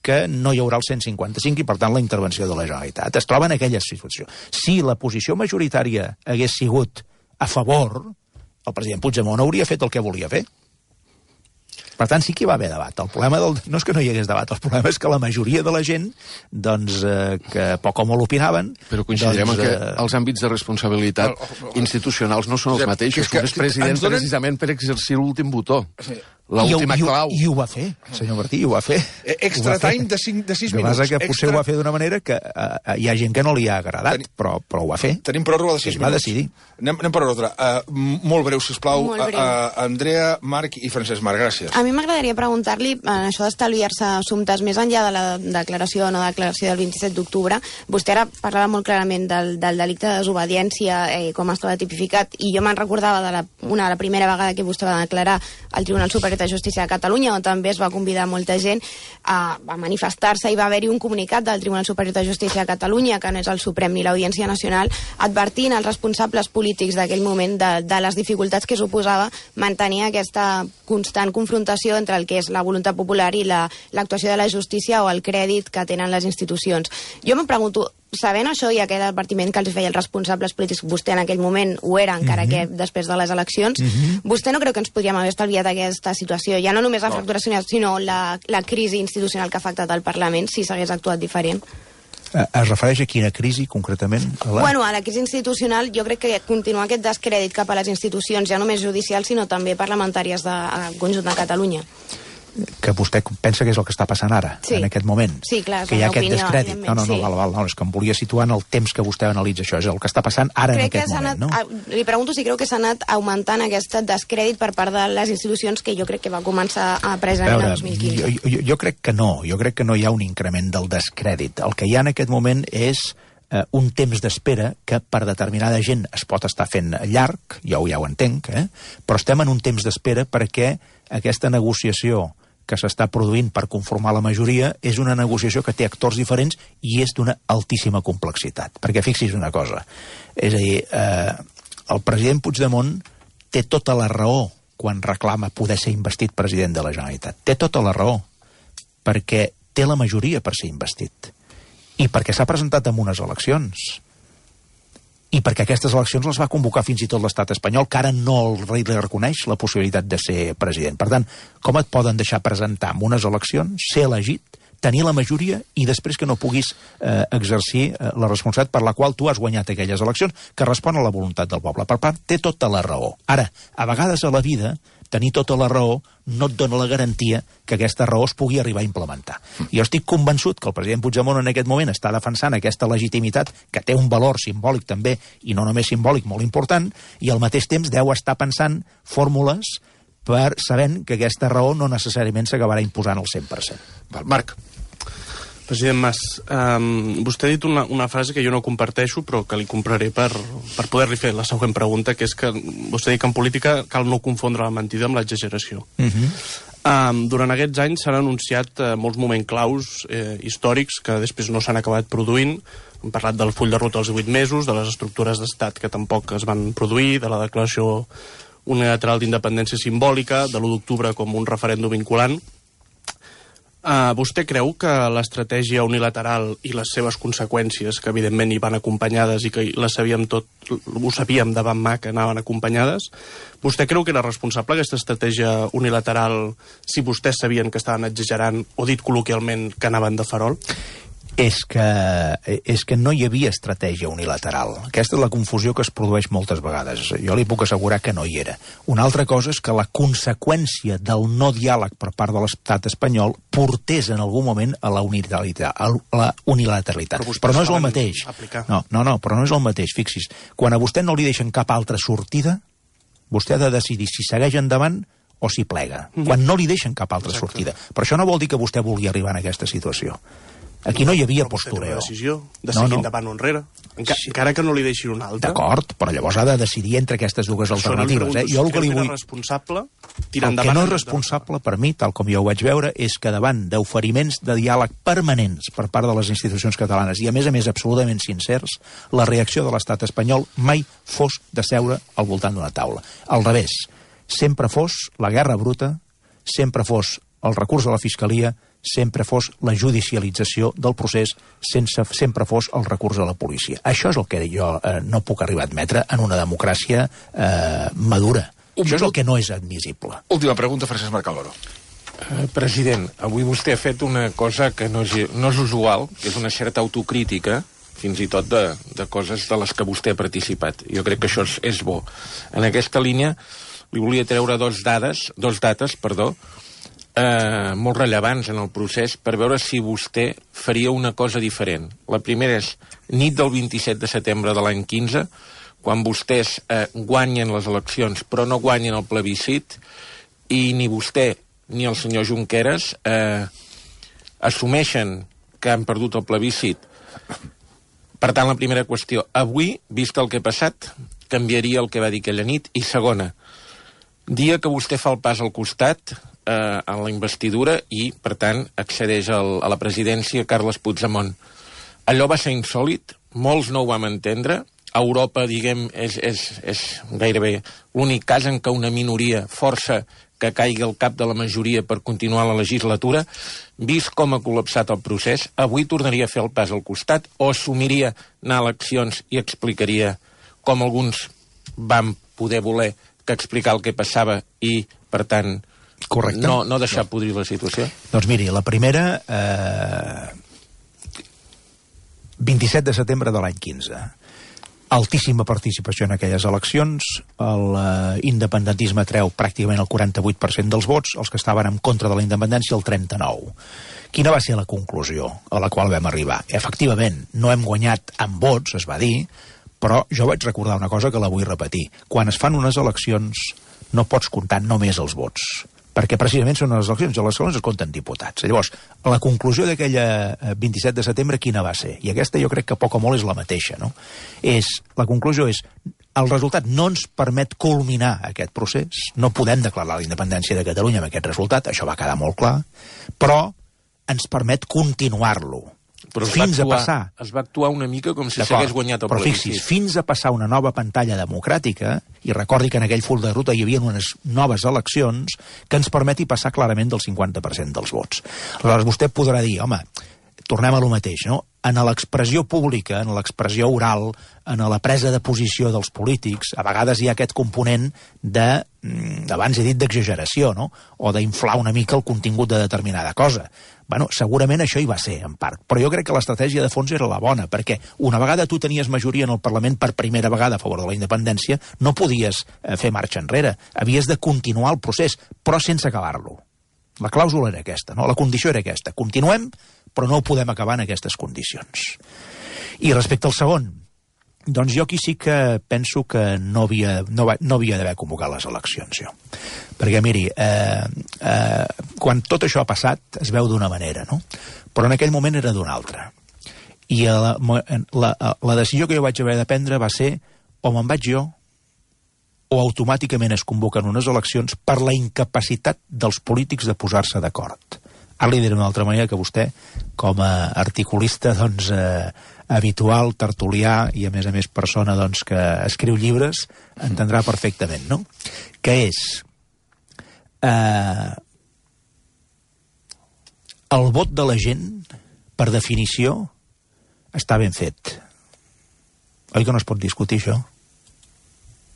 que no hi haurà el cent cinquanta cinc i, per tant, la intervenció de la Generalitat. Es troba en aquella situació. Si la posició majoritària hagués sigut a favor, el president Puigdemont hauria fet el que volia fer. Per tant, sí que hi va haver debat. El problema del... no és que no hi hagués debat, el problema és que la majoria de la gent, doncs, eh, que poc o molt opinaven... Però coincidirem doncs, en que eh... els àmbits de responsabilitat oh, oh, oh, institucionals no són els mateixos. Que, que, un és president donen... precisament per exercir l'últim botó. Sí. L'última clau. I ho va fer, senyor Martí, i ho va fer. Extra time de, cinc, de sis minuts. El que passa que potser ho va fer d'una manera que uh, hi ha gent que no li ha agradat, Tenim... però, però ho va fer. Tenim pròrroga de sis minuts. Va decidir. Anem, anem per ordre. Uh, molt breu, sisplau. Molt breu. Uh, uh, Andrea, Marc i Francesc Marc, gràcies. A mi m'agradaria preguntar-li, en això d'estalviar-se assumptes més enllà de la declaració o no declaració del vint-i-set d'octubre, vostè ara parlava molt clarament del, del delicte de desobediència, eh, com estava tipificat, i jo me'n recordava de la, una, la primera vegada que vostè va declarar al Tribunal Superior de Justícia de Catalunya, on també es va convidar molta gent a, a manifestar-se, i va haver-hi un comunicat del Tribunal Superior de Justícia de Catalunya, que no és el Suprem ni l'Audiència Nacional, advertint als responsables polítics d'aquell moment de, de les dificultats que suposava mantenir aquesta constant confrontació entre el que és la voluntat popular i l'actuació la, de la justícia o el crèdit que tenen les institucions. Jo em pregunto, sabent això i aquell advertiment que els feia els responsables polítics, vostè en aquell moment ho era, encara mm-hmm. que després de les eleccions, mm-hmm. vostè no creu que ens podríem haver estalviat aquesta situació? Ja no només la no. fracturació, sinó la, la crisi institucional que ha afectat al Parlament, si s'hagués actuat diferent? Es refereix a quina crisi, concretament? A la... Bueno, a la crisi institucional, jo crec que continua aquest descrèdit cap a les institucions, ja només judicials, sinó també parlamentàries del conjunt de Catalunya. Que vostè pensa que és el que està passant ara, sí. en aquest moment. Sí, clar, que hi ha aquest opinió, descrèdit. No, no, no, sí. val, val, no, és que em volia situar en el temps que vostè analitza això, és el que està passant ara crec en aquest moment, anat, no? A, li pregunto si creu que s'ha anat augmentant aquest descrèdit per part de les institucions que jo crec que va començar a presentar el dos mil quinze. Jo, jo, jo crec que no, jo crec que no hi ha un increment del descrèdit. El que hi ha en aquest moment és eh, un temps d'espera que per determinada gent es pot estar fent llarg, jo ja ho entenc, eh? Però estem en un temps d'espera perquè aquesta negociació que s'està produint per conformar la majoria és una negociació que té actors diferents i és d'una altíssima complexitat. Perquè fixi's una cosa, és a dir, eh, el president Puigdemont té tota la raó quan reclama poder ser investit president de la Generalitat. Té tota la raó, perquè té la majoria per ser investit. I perquè s'ha presentat en unes eleccions. I perquè aquestes eleccions les va convocar fins i tot l'estat espanyol, que ara no el rei li reconeix la possibilitat de ser president. Per tant, com et poden deixar presentar en unes eleccions, ser elegit, tenir la majoria i després que no puguis eh, exercir eh, la responsabilitat per la qual tu has guanyat aquelles eleccions, que respon a la voluntat del poble? Per part, té tota la raó. Ara, a vegades a la vida tenir tota la raó no et dona la garantia que aquesta raó es pugui arribar a implementar. Jo estic convençut que el president Puigdemont en aquest moment està defensant aquesta legitimitat, que té un valor simbòlic també, i no només simbòlic, molt important, i al mateix temps deu estar pensant fórmules per sabent que aquesta raó no necessàriament s'acabarà imposant al cent per cent. Marc. President Mas, um, vostè ha dit una, una frase que jo no comparteixo, però que li compraré per, per poder-li fer la següent pregunta, que és que vostè diu que en política cal no confondre la mentida amb l'exageració. Uh -huh. um, durant aquests anys s'han anunciat uh, molts moments claus eh, històrics que després no s'han acabat produint. Hem parlat del full de ruta als divuit mesos, de les estructures d'estat que tampoc es van produir, de la declaració unilateral d'independència simbòlica, de l'u d'octubre com un referèndum vinculant. Uh, vostè creu que l'estratègia unilateral i les seves conseqüències, que evidentment hi van acompanyades i que les sabíem tot, ho sabíem davant mà que anaven acompanyades, vostè creu que era responsable aquesta estratègia unilateral si vostès sabien que estaven exagerant o, dit col·loquialment, que anaven de farol? És que, és que no hi havia estratègia unilateral. Aquesta és la confusió que es produeix moltes vegades. Jo li puc assegurar que no hi era. Una altra cosa és que la conseqüència del no diàleg per part de l'estat espanyol portés en algun moment a la unilateralitat. A la unilateralitat. Però, però no és el mateix. No, no, no, però no és el mateix. Fixis, quan a vostè no li deixen cap altra sortida, vostè ha de decidir si segueix endavant o si plega. Mm-hmm. Quan no li deixen cap altra Exacte. sortida. Però això no vol dir que vostè vulgui arribar en aquesta situació. Aquí no hi havia postureo. Però vostè té una decisió de seguir no, no. endavant o enrere, Enca sí. encara que no li deixin una altra. D'acord, però llavors ha de decidir entre aquestes dues Això alternatives. No eh? Jo el que li vull... responsable tirar el que no és responsable, per mi, tal com jo ho vaig veure, és que davant d'oferiments de diàleg permanents per part de les institucions catalanes i, a més a més, absolutament sincers, la reacció de l'estat espanyol mai fos de seure al voltant d'una taula. Al revés, sempre fos la guerra bruta, sempre fos el recurs a la Fiscalia, sempre fos la judicialització del procés, sense, sempre fos el recurs a la policia. Això és el que jo eh, no puc arribar a admetre en una democràcia eh, madura. Un Això és el que no és admissible. Última pregunta, Francesc Marc Álvaro. Uh, president, avui vostè ha fet una cosa que no és, no és usual, que és una certa autocrítica, fins i tot de, de coses de les que vostè ha participat. Jo crec que això és, és bo. En aquesta línia li volia treure dos dades, dos dates, perdó, Eh, molt rellevants en el procés per veure si vostè faria una cosa diferent. La primera és nit del vint-i-set de setembre de l'any quinze, quan vostès eh, guanyen les eleccions però no guanyen el plebiscit, i ni vostè ni el senyor Junqueras eh, assumeixen que han perdut el plebiscit. Per tant, la primera qüestió, avui, vist el que ha passat, canviaria el que va dir aquella nit. I segona, dia que vostè fa el pas al costat eh, en la investidura i, per tant, accedeix al, a la presidència Carles Puigdemont. Allò va ser insòlit, molts no ho vam entendre. A Europa, diguem, és, és, és gairebé l'únic cas en què una minoria força que caigui al cap de la majoria per continuar la legislatura. Vist com ha col·lapsat el procés, avui tornaria a fer el pas al costat o assumiria anar a eleccions i explicaria com alguns van poder voler que explicar el que passava i, per tant, Correcte. no, no deixar podrir la situació? Doncs miri, la primera... Eh, vint-i-set de setembre de l'any quinze. Altíssima participació en aquelles eleccions. L'independentisme treu pràcticament el quaranta-vuit per cent dels vots, els que estaven en contra de la independència el trenta-nou per cent. Quina va ser la conclusió a la qual vam arribar? Efectivament, no hem guanyat amb vots, es va dir, però jo vaig recordar una cosa que la vull repetir. Quan es fan unes eleccions no pots comptar només els vots, perquè precisament són les eleccions, i les eleccions es compten diputats. Llavors, la conclusió d'aquella vint-i-set de setembre quina va ser? I aquesta jo crec que poc o molt és la mateixa, no? És, la conclusió és, el resultat no ens permet culminar aquest procés, no podem declarar la independència de Catalunya amb aquest resultat, això va quedar molt clar, però ens permet continuar-lo. Però fins actuar, a passar... Es va actuar una mica com si s'hagués guanyat el però plebiscit. Fixis, fins a passar una nova pantalla democràtica, i recordi que en aquell full de ruta hi havia unes noves eleccions que ens permeti passar clarament del cinquanta per cent dels vots. Aleshores, vostè podrà dir, home, tornem a lo mateix, no? en l'expressió pública, en l'expressió oral, en la presa de posició dels polítics, a vegades hi ha aquest component de, abans he dit d'exageració, no? O d'inflar una mica el contingut de determinada cosa. Bueno, segurament això hi va ser, en part. Però jo crec que l'estratègia de fons era la bona, perquè una vegada tu tenies majoria en el Parlament per primera vegada a favor de la independència, no podies fer marxa enrere. Havies de continuar el procés, però sense acabar-lo. La clàusula era aquesta, no? La condició era aquesta. Continuem, però no ho podem acabar en aquestes condicions. I respecte al segon, doncs jo aquí sí que penso que no havia, no va, no havia d'haver convocat les eleccions, jo. Perquè, miri, eh, eh, quan tot això ha passat es veu d'una manera, no? Però en aquell moment era d'una altra. I la, la, la decisió que jo vaig haver de prendre va ser o me'n vaig jo o automàticament es convoquen unes eleccions per la incapacitat dels polítics de posar-se d'acord. Ara li diré d'una altra manera que vostè, com a articulista doncs, eh, habitual, tertulià i a més a més persona doncs, que escriu llibres, entendrà perfectament, no? Que és eh, el vot de la gent, per definició, està ben fet. Oi que no es pot discutir això?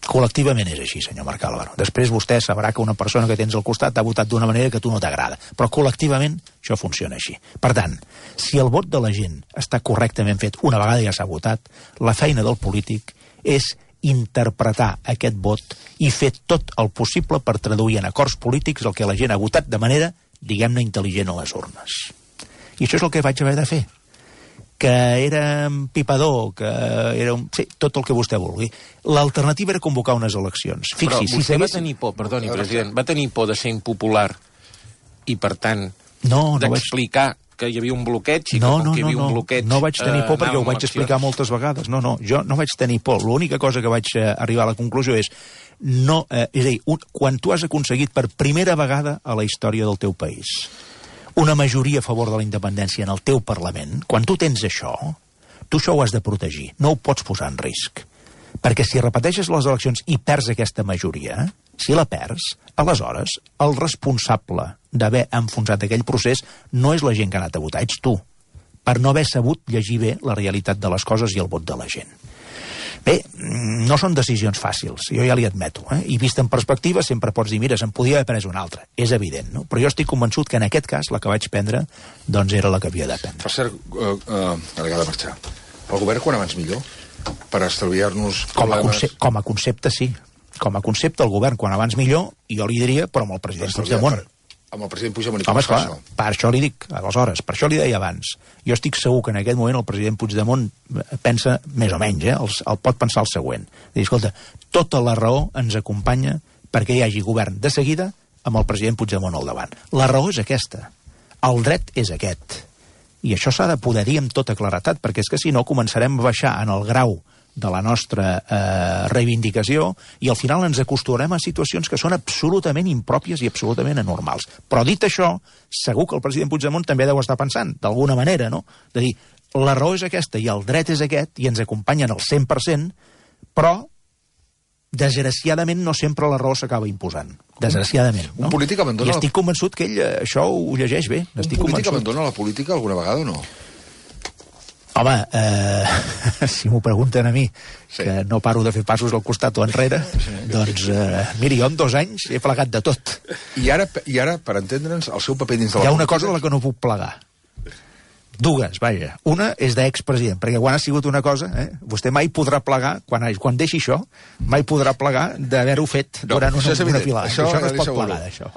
Col·lectivament és així, senyor Marc Álvaro. Després vostè sabrà que una persona que tens al costat ha votat d'una manera que a tu no t'agrada. Però col·lectivament això funciona així. Per tant, si el vot de la gent està correctament fet, una vegada ja s'ha votat, la feina del polític és interpretar aquest vot i fer tot el possible per traduir en acords polítics el que la gent ha votat de manera, diguem-ne, intel·ligent a les urnes. I això és el que vaig haver de fer. Que era pipador, que era un... Sí, tot el que vostè vulgui. L'alternativa era convocar unes eleccions. Fixi, Però si vostè seguís... va tenir por, perdoni, president, va tenir por de ser impopular i, per tant, no, no d'explicar vaig... que hi havia un bloqueig i no, que com no, que hi havia no, un bloqueig... No vaig tenir por eh, perquè ho vaig explicar moltes vegades. No, no, jo no vaig tenir por. L'única cosa que vaig eh, arribar a la conclusió és no, eh, és a dir, un, quan tu has aconseguit per primera vegada a la història del teu país una majoria a favor de la independència en el teu Parlament, quan tu tens això, tu això ho has de protegir, no ho pots posar en risc. Perquè si repeteixes les eleccions i perds aquesta majoria, si la perds, aleshores el responsable d'haver enfonsat aquell procés no és la gent que ha anat a votar, ets tu, per no haver sabut llegir bé la realitat de les coses i el vot de la gent. Bé, no són decisions fàcils, jo ja li admeto, eh? I vist en perspectiva sempre pots dir, mira, se'n podia haver pres una altra, és evident, no? Però jo estic convençut que en aquest cas la que vaig prendre doncs era la que havia de prendre. Per cert, uh, uh, ara ha de marxar, el govern quan abans millor, per estalviar-nos com a, concepte, com a concepte sí, com a concepte el govern quan abans millor, i jo li diria, però amb el president Puigdemont. Per... Amb el president Puigdemont, i com Home, es fa esclar, això? Per això li dic, aleshores, per això li deia abans. Jo estic segur que en aquest moment el president Puigdemont pensa, més o menys, eh, el, el pot pensar el següent. Dir, escolta, tota la raó ens acompanya perquè hi hagi govern de seguida amb el president Puigdemont al davant. La raó és aquesta. El dret és aquest. I això s'ha de poder dir amb tota claretat, perquè és que si no començarem a baixar en el grau de la nostra eh, reivindicació i al final ens acostumem a situacions que són absolutament impròpies i absolutament anormals. Però dit això, segur que el president Puigdemont també deu estar pensant, d'alguna manera, no? De dir, la raó és aquesta i el dret és aquest i ens acompanyen al cent per cent, però desgraciadament no sempre la raó s'acaba imposant. Desgraciadament, no? Un polític abandona... I estic convençut que ell això ho llegeix bé. Un estic polític convençut. abandona la política alguna vegada o no? Home, eh, si m'ho pregunten a mi, sí, que no paro de fer passos al costat o enrere, sí, doncs, eh, miri, jo en dos anys he plegat de tot. I ara, i ara per entendre'ns, el seu paper dins de la Hi ha política... una cosa de la que no puc plegar. Dues, vaja. Una és d'expresident, perquè quan ha sigut una cosa, eh, vostè mai podrà plegar, quan, quan deixi això, mai podrà plegar d'haver-ho fet no, durant una, una filada. Això, això no es pot plegar, d'això.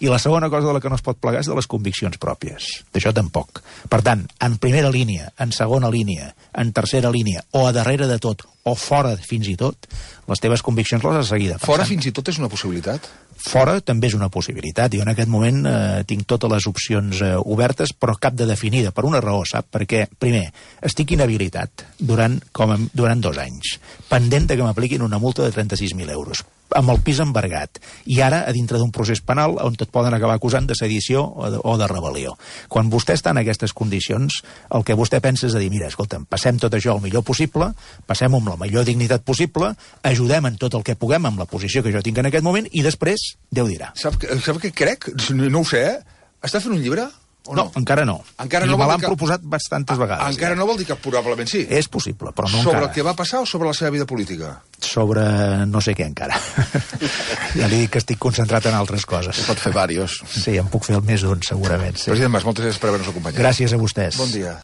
I la segona cosa de la que no es pot plegar és de les conviccions pròpies. D'això tampoc. Per tant, en primera línia, en segona línia, en tercera línia, o a darrere de tot, o fora fins i tot, les teves conviccions les has seguit defensant. Fora fins i tot és una possibilitat? Fora també és una possibilitat. Jo en aquest moment eh, tinc totes les opcions eh, obertes, però cap de definida, per una raó, sap? Perquè, primer, estic inhabilitat durant, com a, durant dos anys, pendent de que m'apliquin una multa de trenta-sis mil euros, amb el pis embargat, i ara a dintre d'un procés penal on et poden acabar acusant de sedició o de, o de rebel·lió. Quan vostè està en aquestes condicions, el que vostè pensa és de dir, mira, escolta'm, passem tot això el millor possible, passem-ho amb la millor dignitat possible, ajudem en tot el que puguem amb la posició que jo tinc en aquest moment, i després, Déu dirà. Sap, sap què crec? No ho sé, eh? Està fent un llibre? o no? no? Encara no. Encara I no me vol l'han dir que- proposat bastantes vegades. Encara no vol dir que probablement sí. És possible, però no Sobre encara. el que va passar o sobre la seva vida política? Sobre no sé què encara. Ja li dic que estic concentrat en altres coses. Pot fer varios. Sí, en puc fer el més d'un, segurament. Sí. President Mas, moltes gràcies per haver-nos acompanyat. Gràcies a vostès. Bon dia.